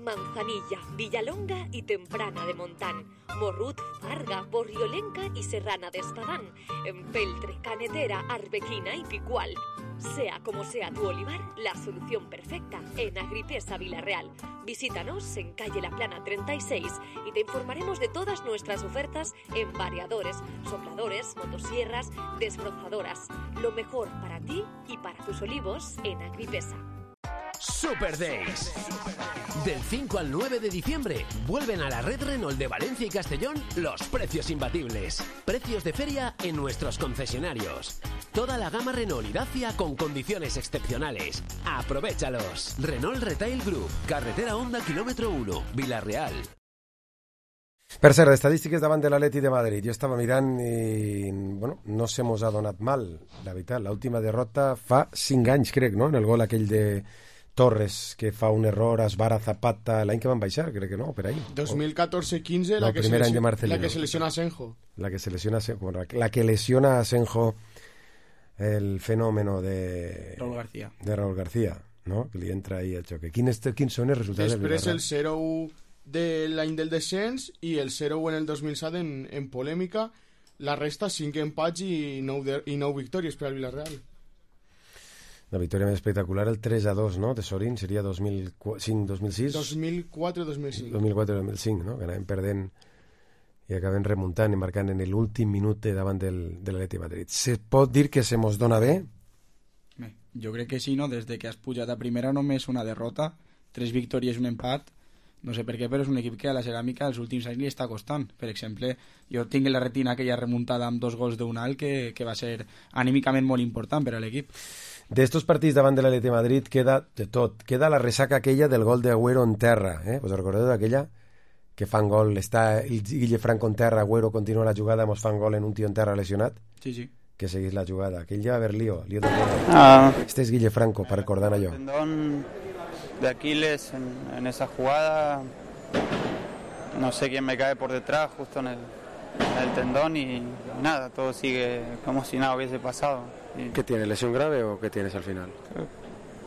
Manzanilla, Villalonga y Temprana de Montán, Morrut, Farga, Borriolenca y Serrana de Espadán, Empeltre, Canetera, Arbequina y Picual. Sea como sea tu olivar, la solución perfecta en Agripesa Vila-real. Visítanos en calle La Plana 36 y te informaremos de todas nuestras ofertas en variadores, sopladores, motosierras, desbrozadoras. Lo mejor para ti y para tus olivos en Agripesa. Super Days. Del 5 al 9 de diciembre vuelven a la red Renault de Valencia y Castellón los precios imbatibles. Precios de feria en nuestros concesionarios. Toda la gama Renault y Dacia con condiciones excepcionales. ¡Aprovéchalos! Renault Retail Group, carretera Honda kilómetro 1, Vila-real. Per cert, estadístiques davant de l'Atleti de Madrid. Jo estava mirant i, bueno, no se mos ha donat mal, la veritat. L'última derrota fa 5 anys, crec, no? En el gol aquell de Torres, que fa un error, esbara Zapata, l'any que van baixar, crec que no, per ahí. 2014-15, no, la que se lesiona a Asenjo. La que se lesiona a Asenjo. La que lesiona a Asenjo el fenómeno de Raúl García, no? Que li entra ahí el xoque. Quins són els resultats del Villarreal? Després el 0-1 de l'any del descens i el 0-1 en el 2007 en polèmica. La resta 5 empats i 9 victòries per al Villarreal. La victòria més espectacular, el 3-2, no? De Sorín, seria 2005-2006? 2004-2005. 2004-2005, no? Que anaven perdent i acaben remuntant i marcant en l'últim minut davant de l'Atleti de Madrid. Se pot dir que se mos dona bé? Jo crec que sí, no? Des que has pujat a primera només una derrota, 3 victòries i un empat. No sé per què, però és un equip que a la ceràmica els últims anys li està costant. Per exemple, jo tinc en la retina aquella remuntada amb 2 gols d'un alt que va ser anímicament molt important per a l'equip. D'estos partits davant de l'Atleti de Madrid queda de tot. Queda la ressaca aquella del gol d'Agüero en terra. Us recordeu d'aquella? Que fan gol, està el Guille Franco en terra, Agüero continua la jugada, mos fan gol en un tio en terra lesionat. Sí, sí. Que seguís la jugada. Aquell ja va haver lío de gol. Este es Guille Franco, para recordar allò. Tendón de Aquiles en esa jugada, no sé quién me cae por detrás, justo en el tendón y nada, todo sigue como si nada hubiese pasado. ¿Qué tiene? ¿Lesión grave o qué tienes al final?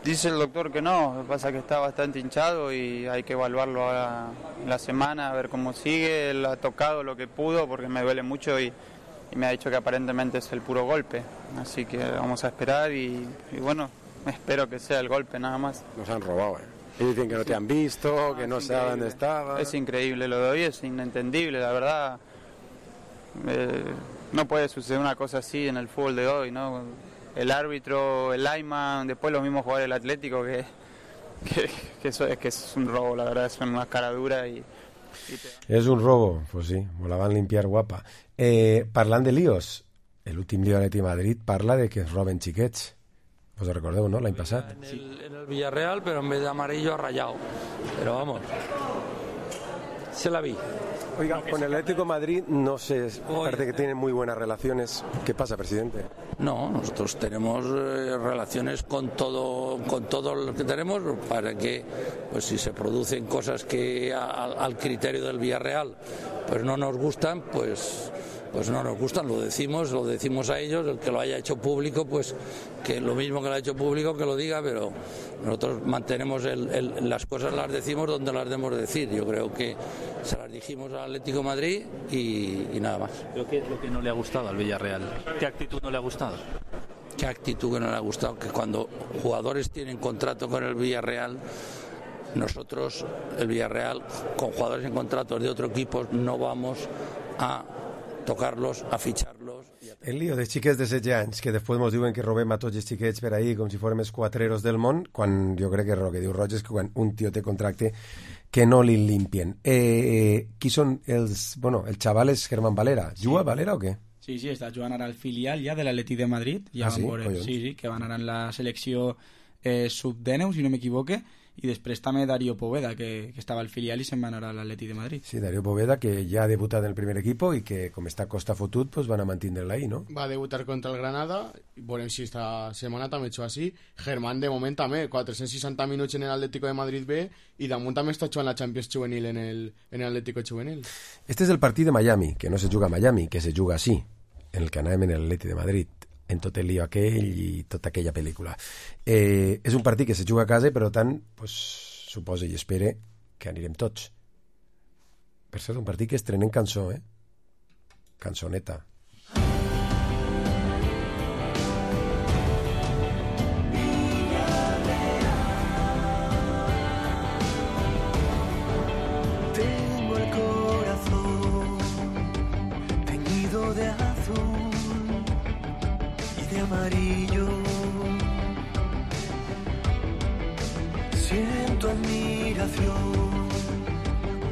Dice el doctor que no, lo que pasa es que está bastante hinchado y hay que evaluarlo ahora en la semana, a ver cómo sigue. Él ha tocado lo que pudo porque me duele mucho y me ha dicho que aparentemente es el puro golpe. Así que vamos a esperar y bueno, espero que sea el golpe nada más. Nos han robado, Y dicen que no te han visto, que no saben dónde estaba. Es increíble, lo de hoy es inentendible, la verdad. No puede suceder una cosa así en el fútbol de hoy, ¿no? El árbitro, el lineman, después los mismos jugadores del Atlético, que es un robo, la verdad, es una cara dura És un robo, pues sí, me la van limpiar guapa. Parlant de líos, l'últim lío de l'Atleti de Madrid parla de que es roben xiquets. Us recordeu, no?, l'any passat. En el Villarreal, pero en vez de amarillo ha rayado. Pero vamos, se la vi. Oiga, con el Atlético de Madrid, no sé, parece que tienen muy buenas relaciones. ¿Qué pasa, presidente? No, nosotros tenemos relaciones con todo lo que tenemos para que, pues si se producen cosas que al criterio del Villarreal pues no nos gustan, pues no nos gustan, lo decimos a ellos, el que lo haya hecho público, pues que lo mismo que lo ha hecho público que lo diga, pero nosotros mantenemos las cosas, las decimos donde las debemos decir. Yo creo que se las dijimos al Atlético de Madrid y nada más. ¿Qué es lo que no le ha gustado al Villarreal? ¿Qué actitud no le ha gustado? ¿Qué actitud que no le ha gustado? Que cuando jugadores tienen contrato con el Villarreal, nosotros, el Villarreal, con jugadores en contratos de otro equipo, no vamos a tocar-los, a fitxar-los. El lío de xiquets de 16 anys, que després ens diuen que robem a tots els xiquets per ahí com si fórem els quatreros del món, quan jo crec que el que diu Roig és que quan un tio té contracte que no li limpien. Qui són els... Bueno, el xaval és Germán Valera. Juga Valera o què? Sí, està jugant ara al filial ja de l'Atlètic de Madrid. Ja sí? Sí, que van anar en la selecció sub-19, si no m'equivoque, i després també Darío Poveda, que estava al filial i se'n va anar a l'Atlètic de Madrid. Sí, Darío Poveda, que ja ha debutat en el primer equipo i que, com està costa fotut, pues van a mantindre-la ahí, ¿no? Va a debutar contra el Granada, veurem si esta setmana també ha així. Germán, de moment, també, 460 minuts en l'Atlético de Madrid B, i damunt també està jugant la Champions Juvenil en l'Atlético Juvenil. Este és el partit de Miami, que no se juga a Miami, que se juga així, en el que anàvem en l'Atlètic de Madrid, en tot el lío aquell i tota aquella pel·lícula. És un partit que se juga a casa i, per tant, pues, suposa i espere que anirem tots. Per cert, un partit que estrenem cançó, Cançoneta. Tengo el corazón teñido de azul y de amarillo. Siento admiración,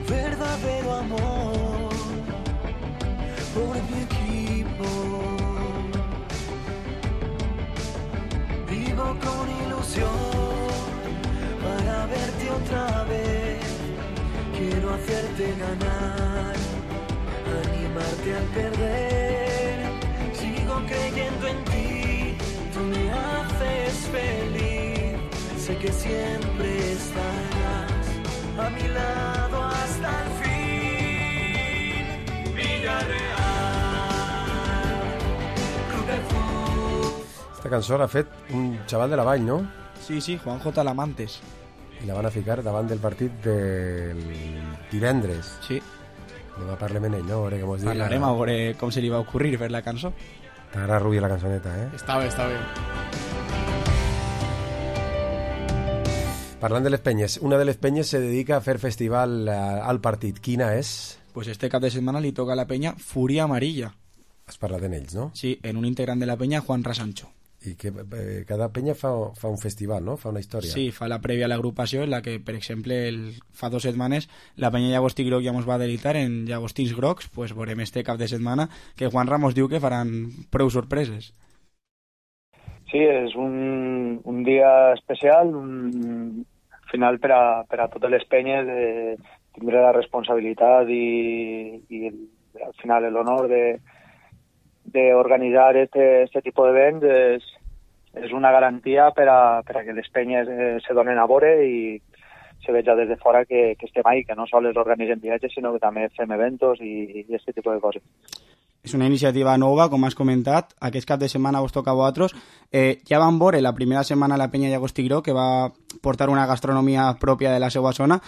verdadero amor por mi equipo. Vivo con ilusión para verte otra vez. Quiero hacerte ganar, animarte al perder. Sigo creyendo en ti, tú me haces feliz. Sé que siempre estarás a mi lado hasta el fin. Villarreal, Club de Fútbol. Esta cançó l'ha fet un xaval de la Vall, no? Sí, Juanjo Talamantes. I la van a ficar davant del partit del divendres. Sí. Demà parlem en ell, no? Parlarem a veure com se li va ocurrir fer la cançó. T'agrada, Rubi, la cançoneta, Està bé. Parlant de les penyes, una de les penyes se dedica a fer festival al partit. Quina és? Pues este cap de setmana li toca a la penya Furia Amarilla. Has parlat d'ells, no? Sí, en un integrant de la penya, Juan Rasancho. I que cada penya fa un festival, no? Fa una història. Sí, fa la prèvia a l'agrupació, en la que, per exemple, fa 2 setmanes, la penya Llagostí Groc ja ens va deleitar en Llagostins Grocs, pues veurem este cap de setmana que Juan Ramos diu que faran prou sorpreses. Sí, és un dia especial, un final per a totes les penyes tindre la responsabilitat i al final l'honor d'organitzar este tipus d'events és una garantia per a que les penyes se donen a veure i se veja des de fora que estem ahí, que no sols organitzem viatges, sinó que també fem eventos i aquest tipus de coses. És una iniciativa nova, com has comentat. Aquest cap de setmana vos toca a vosaltres. Ja vam veure la primera setmana la penya Llagostí Groc, que va portar una gastronomia pròpia de la seva zona.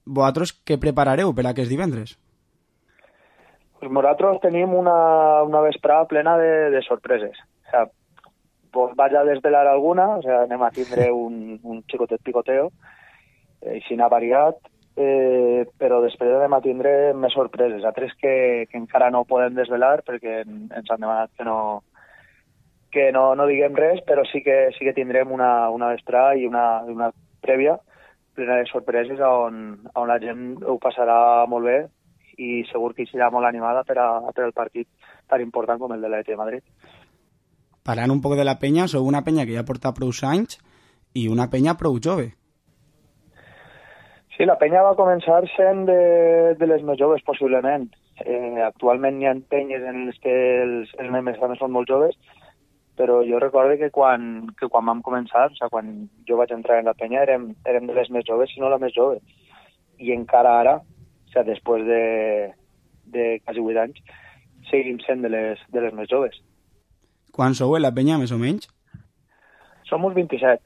Vosaltres què preparareu per aquest divendres? Pues nosaltres tenim una vesprada plena de sorpreses. O sea, vos vaig a desvelar alguna, o sea, anem a tindre un xicotet picoteo, així n'ha variat, però després anem a tindre més sorpreses, altres que encara no podem desvelar perquè ens han demanat que no diguem res, però sí que tindrem una vesprada i una prèvia plena de sorpreses on la gent ho passarà molt bé i segur que serà molt animada per al partit tan important com el de l'Atlètic de Madrid. Parlant un poc de la penya, sou una penya que ja porta prou anys i una penya prou jove. Sí, la penya va començar sent de les més joves, possiblement. Actualment hi ha penyes en les que els membres també són molt joves, però jo recordo que quan vam començar, o sigui, quan jo vaig entrar en la penya, érem de les més joves, si no la més jove. I encara ara, o sigui, després de quasi 8 anys, seguim sent de les més joves. Quan sou en la penya, més o menys? Som uns 27.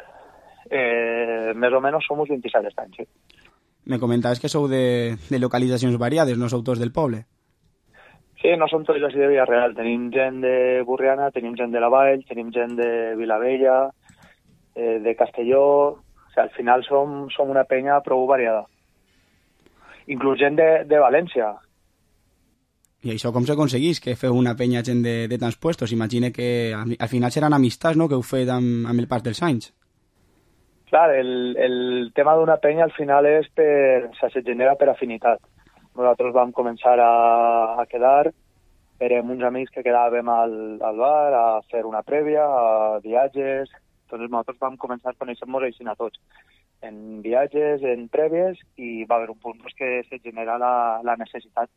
Més o menys som uns 27 aquest any, sí. Me comentaves que sou de localitzacions variades, no sou tots del poble. Sí, no som tots de Villarreal. Tenim gent de Burriana, tenim gent de la Vall, tenim gent de Vilavella, de Castelló. O sigui, al final som una penya prou variada. Inclús gent de València. I això com s'aconseguís, que feu una penya gent de tants puestos? Imagine que al final seran amistats, no?, que heu fet amb el pas dels anys. Clar, el tema d'una penya al final és se genera per afinitat. Nosaltres vam començar a quedar, érem uns amics que quedàvem al bar a fer una prèvia, a viatges. Entonces nosaltres vam començar a conèixer-nos així a tots, en viatges, en prèvies, i va haver un punt que se genera la necessitat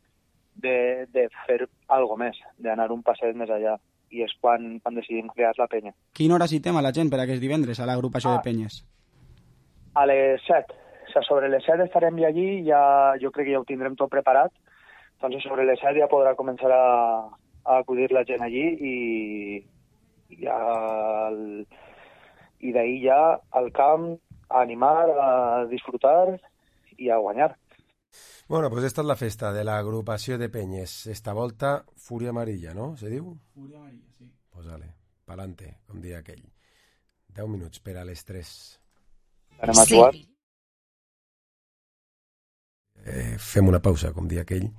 de fer algo més, d'anar un passet més allà. I és quan decidim crear la penya. Quina hora citem a la gent per aquest divendres a l'agrupació de penyes? A les 7. O sigui, sobre les 7 estarem ja allí, jo crec que ja ho tindrem tot preparat. Entonces sobre les 7 ja podrà començar a acudir la gent allí i d'ahí ja al camp a animar, a disfrutar i a guanyar. Bueno, pues esta és la festa de l'agrupació de penyes. Esta volta, Fúria Amarilla, no? Se diu? Fúria Amarilla, sí. Pues vale, pa'lante, com dia aquell. 10 minuts per a les 3. Anem a jugar. Fem una pausa, com dia aquell,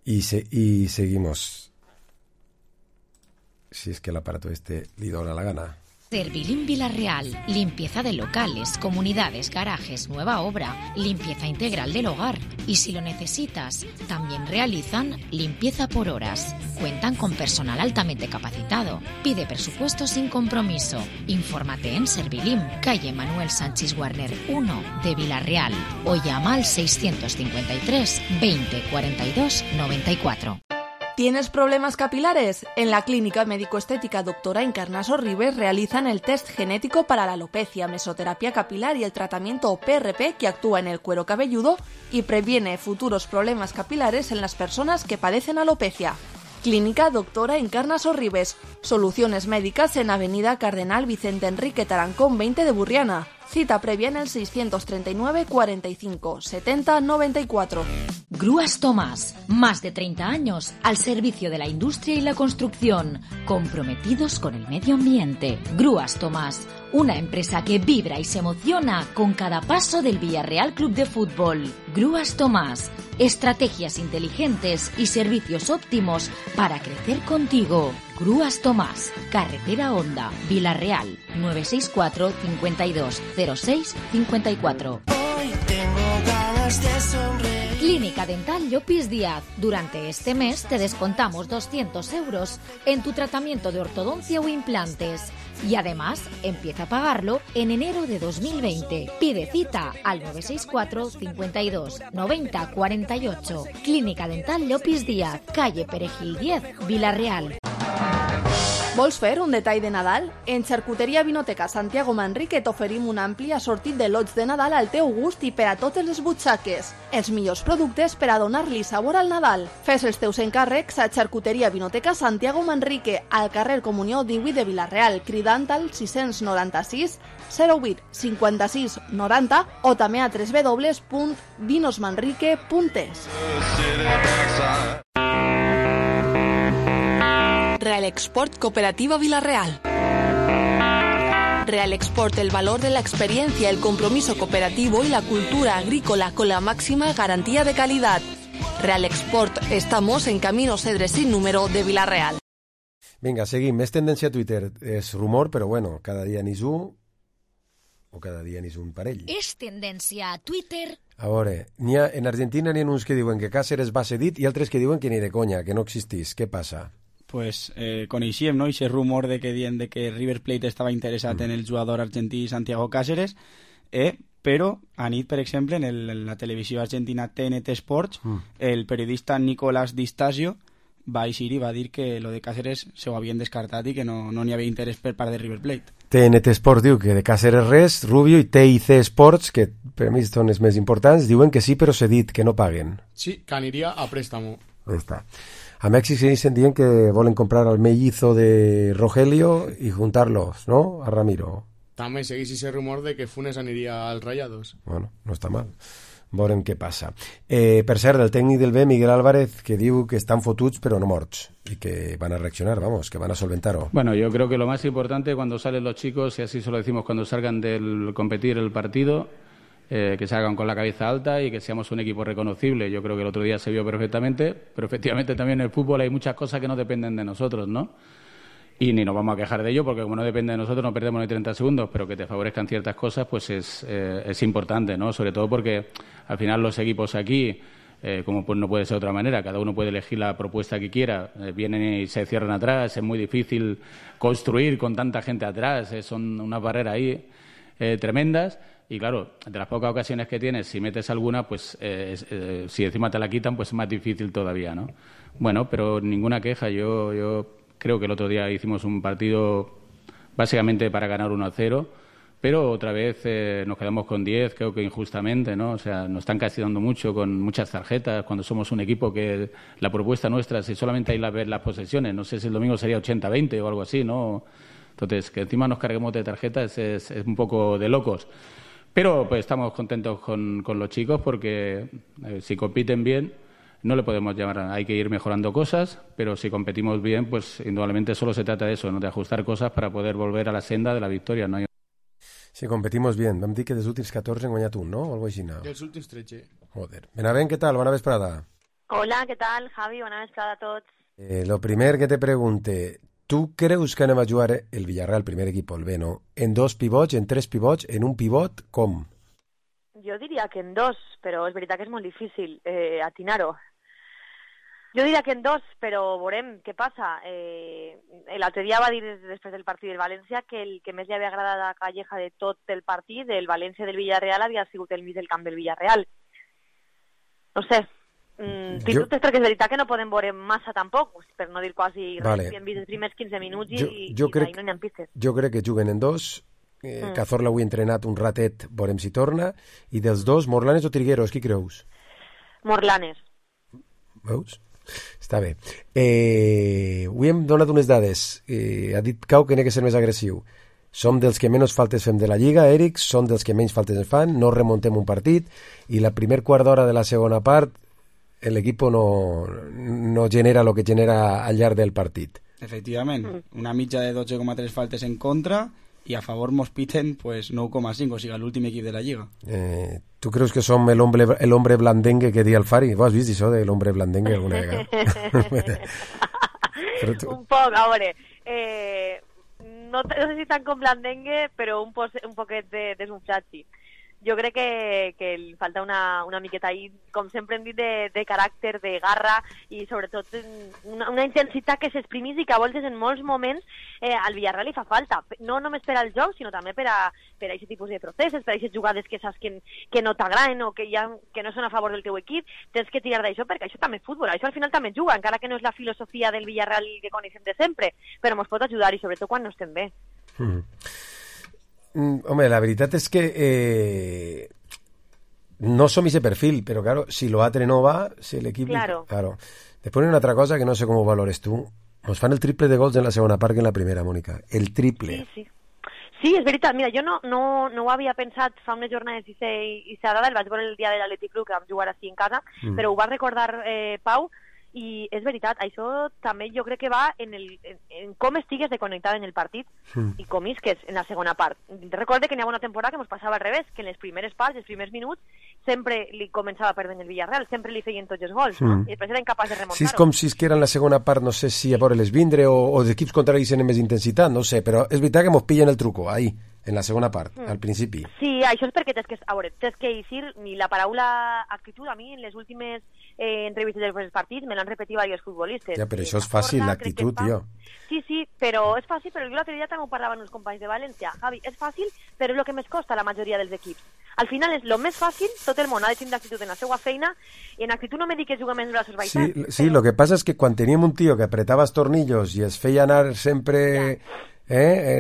y seguimos. Si es que el aparato li dona la gana. Servilín Villarreal, limpieza de locales, comunidades, garajes, nueva obra, limpieza integral del hogar. Y si lo necesitas, también realizan limpieza por horas. Cuentan con personal altamente capacitado. Pide presupuesto sin compromiso. Infórmate en Servilín, calle Manuel Sánchez Warner 1 de Villarreal, o llama al 653 20 42 94. ¿Tienes problemas capilares? En la Clínica Médico-Estética Dra. Encarnaso Ribes realizan el test genético para la alopecia, mesoterapia capilar y el tratamiento PRP que actúa en el cuero cabelludo y previene futuros problemas capilares en las personas que padecen alopecia. Clínica Dra. Encarnaso Ribes. Soluciones médicas en Avenida Cardenal Vicente Enrique Tarancón 20 de Burriana. Cita previa en el 639 45 70 94. Grúas Tomás, más de 30 años al servicio de la industria y la construcción, comprometidos con el medio ambiente. Grúas Tomás, una empresa que vibra y se emociona con cada paso del Villarreal Club de Fútbol. Grúas Tomás, estrategias inteligentes y servicios óptimos para crecer contigo. Grúas Tomás, Carretera Honda, Villarreal, 964 52 06 54. Hoy tengo ganas de sonreír. Clínica Dental Llopis Díaz. Durante este mes te descontamos 200 euros en tu tratamiento de ortodoncia o implantes. Y además, empieza a pagarlo en enero de 2020. Pide cita al 964 52 90 48. Clínica Dental Llopis Díaz, calle Perejil 10, Villarreal. Vols fer un detall de Nadal? En Xarcuteria Vinoteca Santiago Manrique t'oferim un ampli assortit de lots de Nadal al teu gust i per a totes les butxaques. Els millors productes per a donar-li sabor al Nadal. Fes els teus encàrrecs a Xarcuteria Vinoteca Santiago Manrique, al carrer Comunió 18 de Villarreal, cridant al 696 08 56 90 o també a www.vinosmanrique.es. Real Export Cooperativa Villarreal. Real Export, el valor de la experiencia, el compromiso cooperativo y la cultura agrícola con la máxima garantía de calidad. Real Export, estamos en Camino Cedres sin número de Villarreal. Vinga, seguim. És tendència a Twitter. És rumor, però bueno, cada dia n'és un o cada dia n'és un parell. És tendència a Twitter. A veure, en Argentina n'hi ha uns que diuen que Cáceres va cedit i altres que diuen que ni de conya, que no existís. Què passa? Pues coneixíem, no?, ese rumor de que dient de que River Plate estava interessat en el jugador argentí Santiago Cáceres, però anit, per exemple, en la televisió argentina TNT Sports, el periodista Nicolás Di Stasio va eixir i va dir que lo de Cáceres se ho havien descartat i que no n'hi havia interès per part de River Plate. TNT Sports diu que de Cáceres res, Rubio, i TIC Sports, que per mi són els més importants, diuen que sí, però cedit, que no paguen. Sí, que aniria a préstamo. Ahí está. A Mèxic se dicen que volen comprar al mellizo de Rogelio y juntarlos, ¿no?, a Ramiro. També seguís ese rumor de que Funes aniria als Rayados. Bueno, no està mal. Veurem què passa. Per cert, el tècnic del B, Miguel Álvarez, que diu que estan fotuts però no morts y que van a reaccionar, vamos, que van a solventar-ho. Bueno, yo creo que lo más importante cuando salen los chicos, y así se lo decimos cuando salgan del competir el partido, que salgan con la cabeza alta y que seamos un equipo reconocible. Yo creo que el otro día se vio perfectamente, pero efectivamente también en el fútbol hay muchas cosas que no dependen de nosotros, ¿no? y ni nos vamos a quejar de ello, porque como no depende de nosotros no perdemos ni 30 segundos, pero que te favorezcan ciertas cosas pues es importante, ¿no? Sobre todo porque al final los equipos aquí, como pues no puede ser de otra manera, cada uno puede elegir la propuesta que quiera, vienen y se cierran atrás, es muy difícil construir con tanta gente atrás, son unas barreras ahí tremendas. Y claro, de las pocas ocasiones que tienes, si metes alguna, pues si encima te la quitan, pues es más difícil todavía, ¿no? Bueno, pero ninguna queja. Yo creo que el otro día hicimos un partido básicamente para ganar 1-0, pero otra vez nos quedamos con 10, creo que injustamente, ¿no? O sea, nos están castigando mucho con muchas tarjetas, cuando somos un equipo que la propuesta nuestra, si solamente hay ver las posesiones, no sé si el domingo sería 80-20 o algo así, ¿no? Entonces, que encima nos carguemos de tarjetas es un poco de locos. Pero pues estamos contentos con los chicos porque si compiten bien no le podemos llamar, hay que ir mejorando cosas, pero si competimos bien, pues indudablemente solo se trata de eso, ¿no? De ajustar cosas para poder volver a la senda de la victoria, ¿no? Si competimos bien, vam dir que dels últims 14 hem guanyat un, no? O algo així, no? Dels últims 13. Joder. Benavent, què tal? Bona vesprada. Hola, què tal, Javi? Bona vesprada a tots. Lo primer que te pregunte, ¿tú creus que anem a jugar el Villarreal, primer equipo, el B, no? En 2 pivots, en 3 pivots, en un pivot, com? Jo diria que en 2, però és veritat que és molt difícil atinar-ho. Jo diria que en 2, però veurem què passa. L'altre dia va dir després del partit del València que el que més li havia agradat a Calleja de tot el partit, del València del Villarreal, havia sigut el mig del camp del Villarreal. No sé, fins i tot és perquè és veritat que no podem veure massa tampoc, per no dir quasi res, hem vist els primers 15 minuts i d'ahir no n'hi ha pistes. Jo crec que juguen en 2, Cazorla ho he entrenat un ratet, veurem si torna, i dels 2, Morlanes o Trigueros, qui creus? Morlanes. Veus? Està bé. Avui hem donat unes dades. Ha dit Cau que n'ha que ser més agressiu. Som dels que menys faltes fem de la Lliga, Eric, som dels que menys faltes en fan, no remontem un partit, i la primer quart d'hora de la segona part l'equip no genera el que genera al llarg del partit. Efectivament, una mitja de 12,3 faltes en contra i a favor mos piten pues 9,5, o sigui, l'últim equip de la Lliga. Tu creus que som el hombre blandengue que dia el Fari? Ho has vist, això de l'hombre blandengue alguna vegada? Un poc, a veure, no sé si tant com blandengue, però un poquet de desunflat, sí. Jo crec que li falta una miqueta ahí, com sempre hem dit, de caràcter, de garra i sobretot una intensitat que s'exprimís i que a voltes en molts moments al Villarreal li fa falta. No només per al joc, sinó també per a aquest tipus de processos, per a aquestes jugades que saps que no t'agraden o que no són a favor del teu equip. Tens que tirar d'això perquè això també és futbol, això al final també juga, encara que no és la filosofia del Villarreal que coneixem de sempre, però ens pot ajudar i sobretot quan no estem bé. Hombre, la veritat és que no som ese perfil, però claro, si lo atre no va, si l'equip... Claro. Después una altra cosa que no sé com ho valores tu. Nos fan el triple de gols en la segona part que en la primera, Mònica. El triple. Sí, és veritat. Mira, jo no ho havia pensat fa unes jornades i s'ha dada, el vaig veure el dia de l'Atlètic Club, que vam jugar així en casa, però ho va recordar Pau, i és veritat, això també jo crec que va en com estigues de connectada en el partit i com isques en la segona part. Recorde que n'hi ha una temporada que ens passava al revés, que en les primeres parts, els primers minuts, sempre li començava perdent el Villarreal, sempre li feien tots els gols, no? I després eren capaços de remuntar-ho. Si és com si es que era en la segona part, no sé si a veure-les vindre o els equips contraris tenen més intensitat, no sé, però és veritat que mos pillen el truco, ahí, en la segona part, al principi. Sí, això és perquè tens que eixir, ni la paraula actitud, a mi en les últimes entrevistes dels partits me l'han repetit diversos futbolistes. Ja, però això és fàcil, l'actitud, tio. Sí, però és fàcil, però jo l'altre dia també ho parlaven els companys de València. Javi, és fàcil, però és el que més costa a la majoria dels equips. Al final és el més fàcil, tot el món ha de tenir actitud en la seva feina, i en actitud no me dic que juga més braços baixats. Sí, lo que passa és que quan teníem un tio que apretava els tornillos i es feia anar sempre...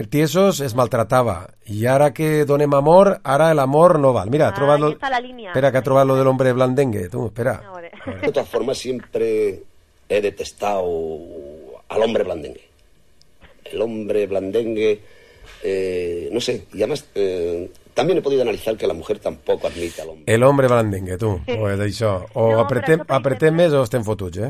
tiesos es maltratava i ara que donem amor, ara el amor no val. Mira, espera que ha trobat lo del hombre blandengue. Tú, espera. De todas formas, siempre he detestado al hombre blandengue. El hombre blandengue, no sé, y además también he podido analizar que la mujer tampoco admite al hombre. El hombre blandengue, tu, pues d'això. O no, apretem més o estem fotuts,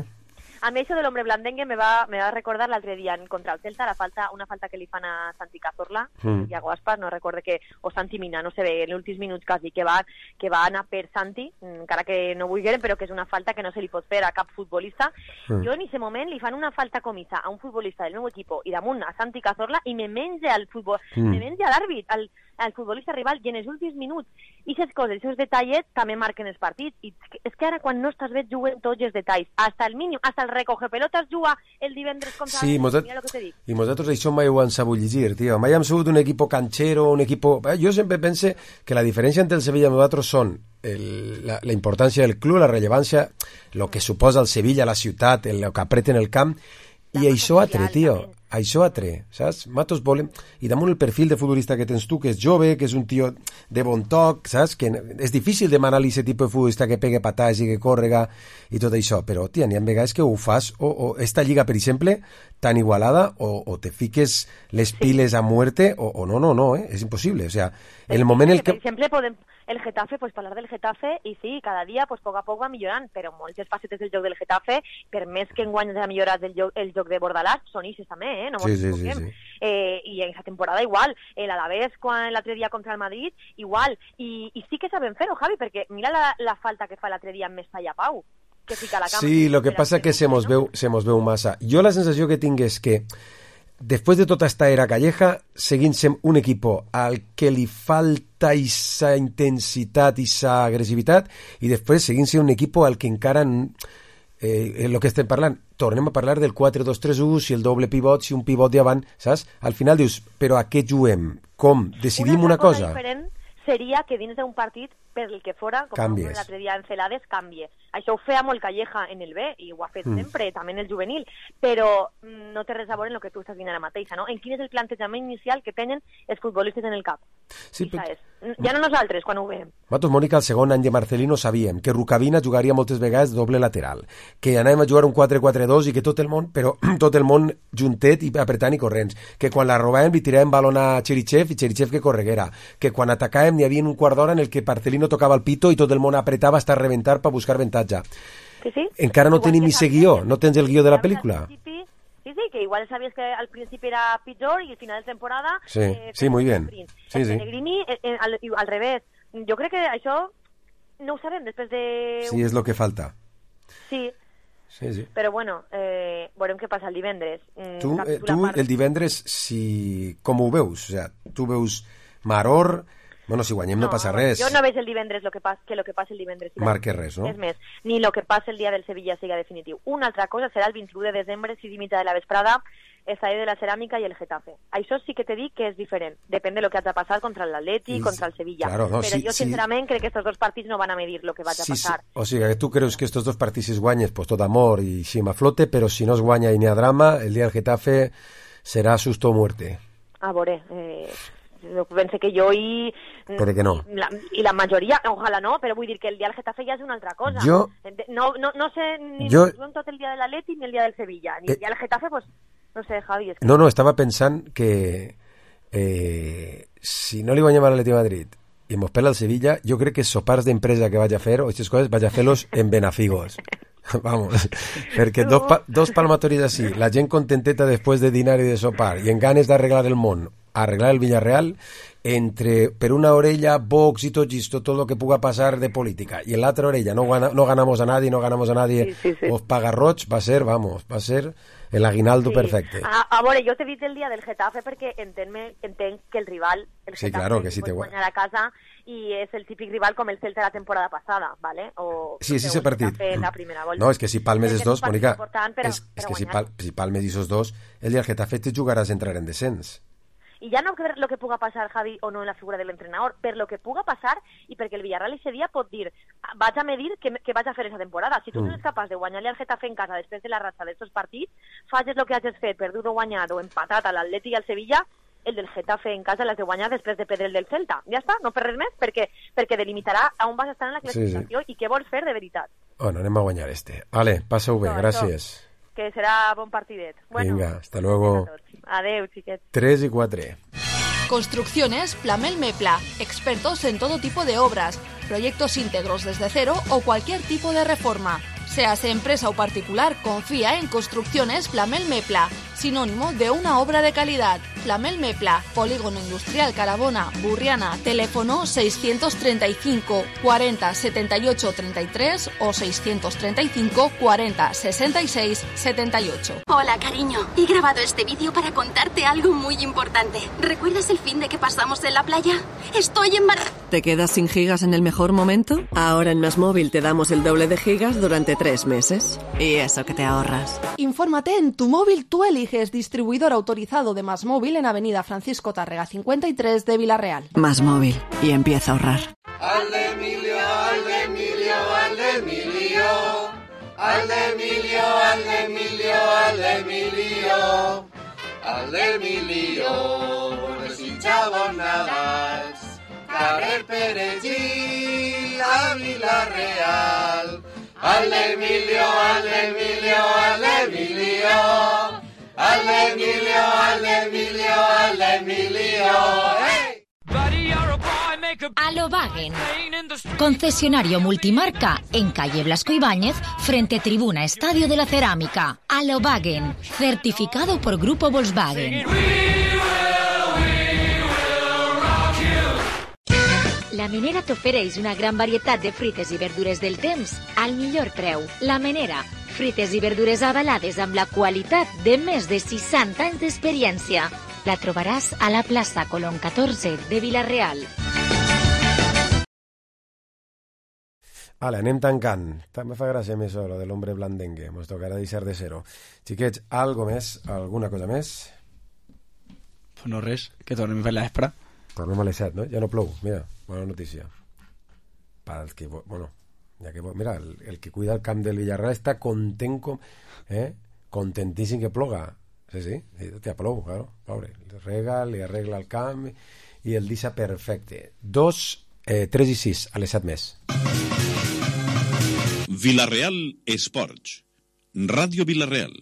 A mí eso del hombre blandengue me va a recordar l'altre dia contra el Celta, una falta que li fan a Santi Cazorla, Iago Aspas, no recorde que, o Santi Mina, no sé bé, en els últims minuts quasi, que va anar per Santi, encara que no vulgueren, però que és una falta que no se li pot fer a cap futbolista. Jo en aquest moment li fan una falta comissa a un futbolista del meu equip i damunt a Santi Cazorla i me menja l'àrbit, al futbolista rival, i en els últims minuts aquestes coses, aquests detallets també marquen els partits, i és que ara quan no estàs bé juguen tots els detalls, hasta el mínim, hasta el recogepelotes juga el divendres contra mira lo que te dic. I nosaltres això mai ho hem sabut llegir, tio, mai hem sigut un equip canchero, un equip... Jo sempre pense que la diferència entre el Sevilla i nosaltres són la importància del club, la rellevància, el que suposa el Sevilla, la ciutat, el que apreten el camp, i això altre, tio, això altre, saps? Matos volem... I damunt el perfil de futbolista que tens tu, que és jove, que és un tio de bon toc, saps? Que és difícil demanar-li aquest tipus de futbolista que pegue patades i que córrega i tot això, però, tia, n'hi ha vegades que ho fas, o esta lliga, per exemple, tan igualada, o te fiques les piles a muerte, o no, és impossible, o sea, en el moment en que... Per exemple, podem... El Getafe, pues parlar del Getafe, i sí, cada dia, pues poc a poc va millorant, però moltes facetes del joc del Getafe, per més que enguany ha millorat el joc de Bordalàs, són ixes també, no mos equivoquem. I en aquesta temporada igual, l'Alavés l'altre dia contra el Madrid, igual, i sí que saben fer-ho, Javi, perquè mira la falta que fa l'altre dia amb Mestalla Pau, que fica la cama. Sí, lo que passa que se mos veu massa. Jo la sensació que tinc és que después de tota esta era calleja, seguint sent un equipo al que li falta esa intensitat, esa agressivitat, i després seguint sent un equipo al que encara el que estem parlant, tornem a parlar del 4-2-3-1, si el doble pivot, si un pivot davant, saps? Al final dius, però a què juguem? Com? Decidim una cosa? Diferent seria que dins d'un partit, per el que fora, com l'altre dia en Celades, canvie. Això ho feia molt Calleja en el B, i ho ha fet sempre, també en el juvenil, però no té res a veure en el que tu estàs dient ara mateixa, no? En quin és el plantejament inicial que tenen els futbolistes en el cap? Sí, ja no nosaltres, quan ho veiem. Nosaltres, Mònica, el segon any de Marcelino sabíem que Rukavina jugaria moltes vegades doble lateral, que anàvem a jugar un 4-4-2 i que tot el món juntet i apretant i corrents, que quan la robàvem li tiràvem balon a Cherichev i Cherichev que correguera, que quan atacàvem n'hi havia un quart d'hora en el que Marcelino tocava el pito i tot el món apretava hasta reventar per buscar avantatge. Sí. Encara no tenim ese guió, no tens el guió de la pel·lícula. Sí, que igual sabies que al principi era pitjor i al final de temporada... Sí, muy bien. Sí. Pellegrini, al revés. Jo crec que això no ho sabem després de... Sí, és lo que falta. Sí. Però bueno, veurem què passa el divendres. Tu el divendres, com ho veus? O sea, tu veus Maror... Bueno, si guanyem no passa res. Jo no veig el divendres lo que passa el divendres. Marque res, no? És més, ni lo que passa el dia del Sevilla siga definitiu. Una altra cosa serà el 21 de desembre, 6 i mitja de la vesprada, el Estadio de la Ceràmica i el Getafe. Això sí que te dic que és diferent. Depèn de lo que ha de passar contra l'Atleti, contra el Sevilla. Claro, no, però jo, sincerament, crec que estos dos partits no van a medir lo que vaig a passar. Sí. O sigui, que tu creus que estos dos partits es guanyes, pues tot amor i xima flote, però si no es guanya i n'hi ha drama, el dia del Getafe serà susto o muerte. A veure... pense que jo Pero que no. I la majoria, ojalà no, però vull dir que el dia del Getafe ja és una altra cosa. No sé ni tot el dia de l'Atleti ni el dia del Sevilla, ni el dia del Getafe, pues no sé, Javi. És que... No, estava pensant que si no li guanyem a l'Atleti de Madrid i mos pela el Sevilla, jo crec que sopars d'empresa que vaig a fer, o aquestes coses, vaig a fer-los en Benafigos. Vamos, perquè dos palmatoris així, la gent contenteta després de dinar i de sopar, i en ganes d'arreglar el món, arreglar el Villarreal, per una orella Vox y todo lo que puga pasar de política, y en la otra orella no ganamos a nadie, sí. Os pagarrots, va a ser el aguinaldo perfecte. A veure, jo t'he dit el dia del Getafe perquè entenc que el rival, el Getafe, claro, que sí pot guanyar a casa, i és el típic rival com el Celta de la temporada passada, ¿vale? Sí, ese partit. La primera volta. No, és que si palmes els dos, Mónica, és que si palmes esos dos, el dia del Getafe te jugaràs a entrar en descens. I ja no per lo que puga passar, Javi, o no en la figura de l'entrenador, per lo que puga passar i perquè el Villarreal ese dia pot dir vaig a medir què vaig a fer esa temporada. Si tu no ets capaç de guanyar-li al Getafe en casa després de la ratxa d'estos partits, facis lo que hagis fet, perdut o guanyat o empatat a l'Atleti i al Sevilla, el del Getafe en casa l'has de guanyar després de perdre el del Celta. Ja està, no per res més, perquè delimitarà on vas estar en la classificació i què vols fer de veritat. Bueno, anem a guanyar este. Vale, passa-ho bé, gràcies. Que serà bon partidet. Bueno, venga, hasta luego. Adeu, xiquet. 3 y 4. Construcciones Plamel Mepla, expertos en todo tipo de obras, proyectos íntegros desde cero o cualquier tipo de reforma. Seas empresa o particular, confía en Construcciones Flamel Mepla, sinónimo de una obra de calidad. Flamel Mepla, Polígono Industrial Carabona, Burriana, teléfono 635 40 78 33 o 635 40 66 78. Hola, cariño. He grabado este vídeo para contarte algo muy importante. ¿Recuerdas el fin de que pasamos en la playa? Estoy embarazada. ¿Te quedas sin gigas en el mejor momento? Ahora en MásMóvil te damos el doble de gigas durante 3 meses. Y eso que te ahorras. Infórmate en Tu Móvil Tú Eliges, distribuidor autorizado de MásMóvil en Avenida Francisco Tárrega 53 de Villarreal. MásMóvil. Y empieza a ahorrar. Alde Emilio, Alde Emilio, Alde Emilio. Alde Emilio, Alde Emilio, Alde Emilio. Alde Emilio, desitjava Navas. Carrer Perellí, a Villarreal. Alde Emilio, Alde Emilio, Alde Emilio. Alde Emilio, Alde Emilio, Alde Emilio. ¡Hey! Alobagen, concesionario multimarca en calle Blasco Ibáñez, frente Tribuna Estadio de la Cerámica. Alobagen, certificado por Grupo Volkswagen. La Menera t'ofereix una gran varietat de fruites i verdures del temps al millor preu. La Menera, fruites i verdures avalades amb la qualitat de més de 60 anys d'experiència. La trobaràs a la plaça Colón 14 de Villarreal. Vale, anem tancant. També fa gràcia més lo de l'hombre blandengue. Mos tocarà deixar de ser-ho. Xiquets, algo més? Alguna cosa més? Pues no res, que tornem a fer l'espra. Tornem a les 7, no? Ja no plou. Mira, bona notícia. Per als que... Bueno, ja que... Mira, el que cuida el camp del Villarreal està content contentíssim que ploga. Sí, ja plou, claro. Pobre. Li arregla el camp i el deixa perfecte. 2, 3 i 6, a les 7 més. Villarreal Esports. Ràdio Villarreal.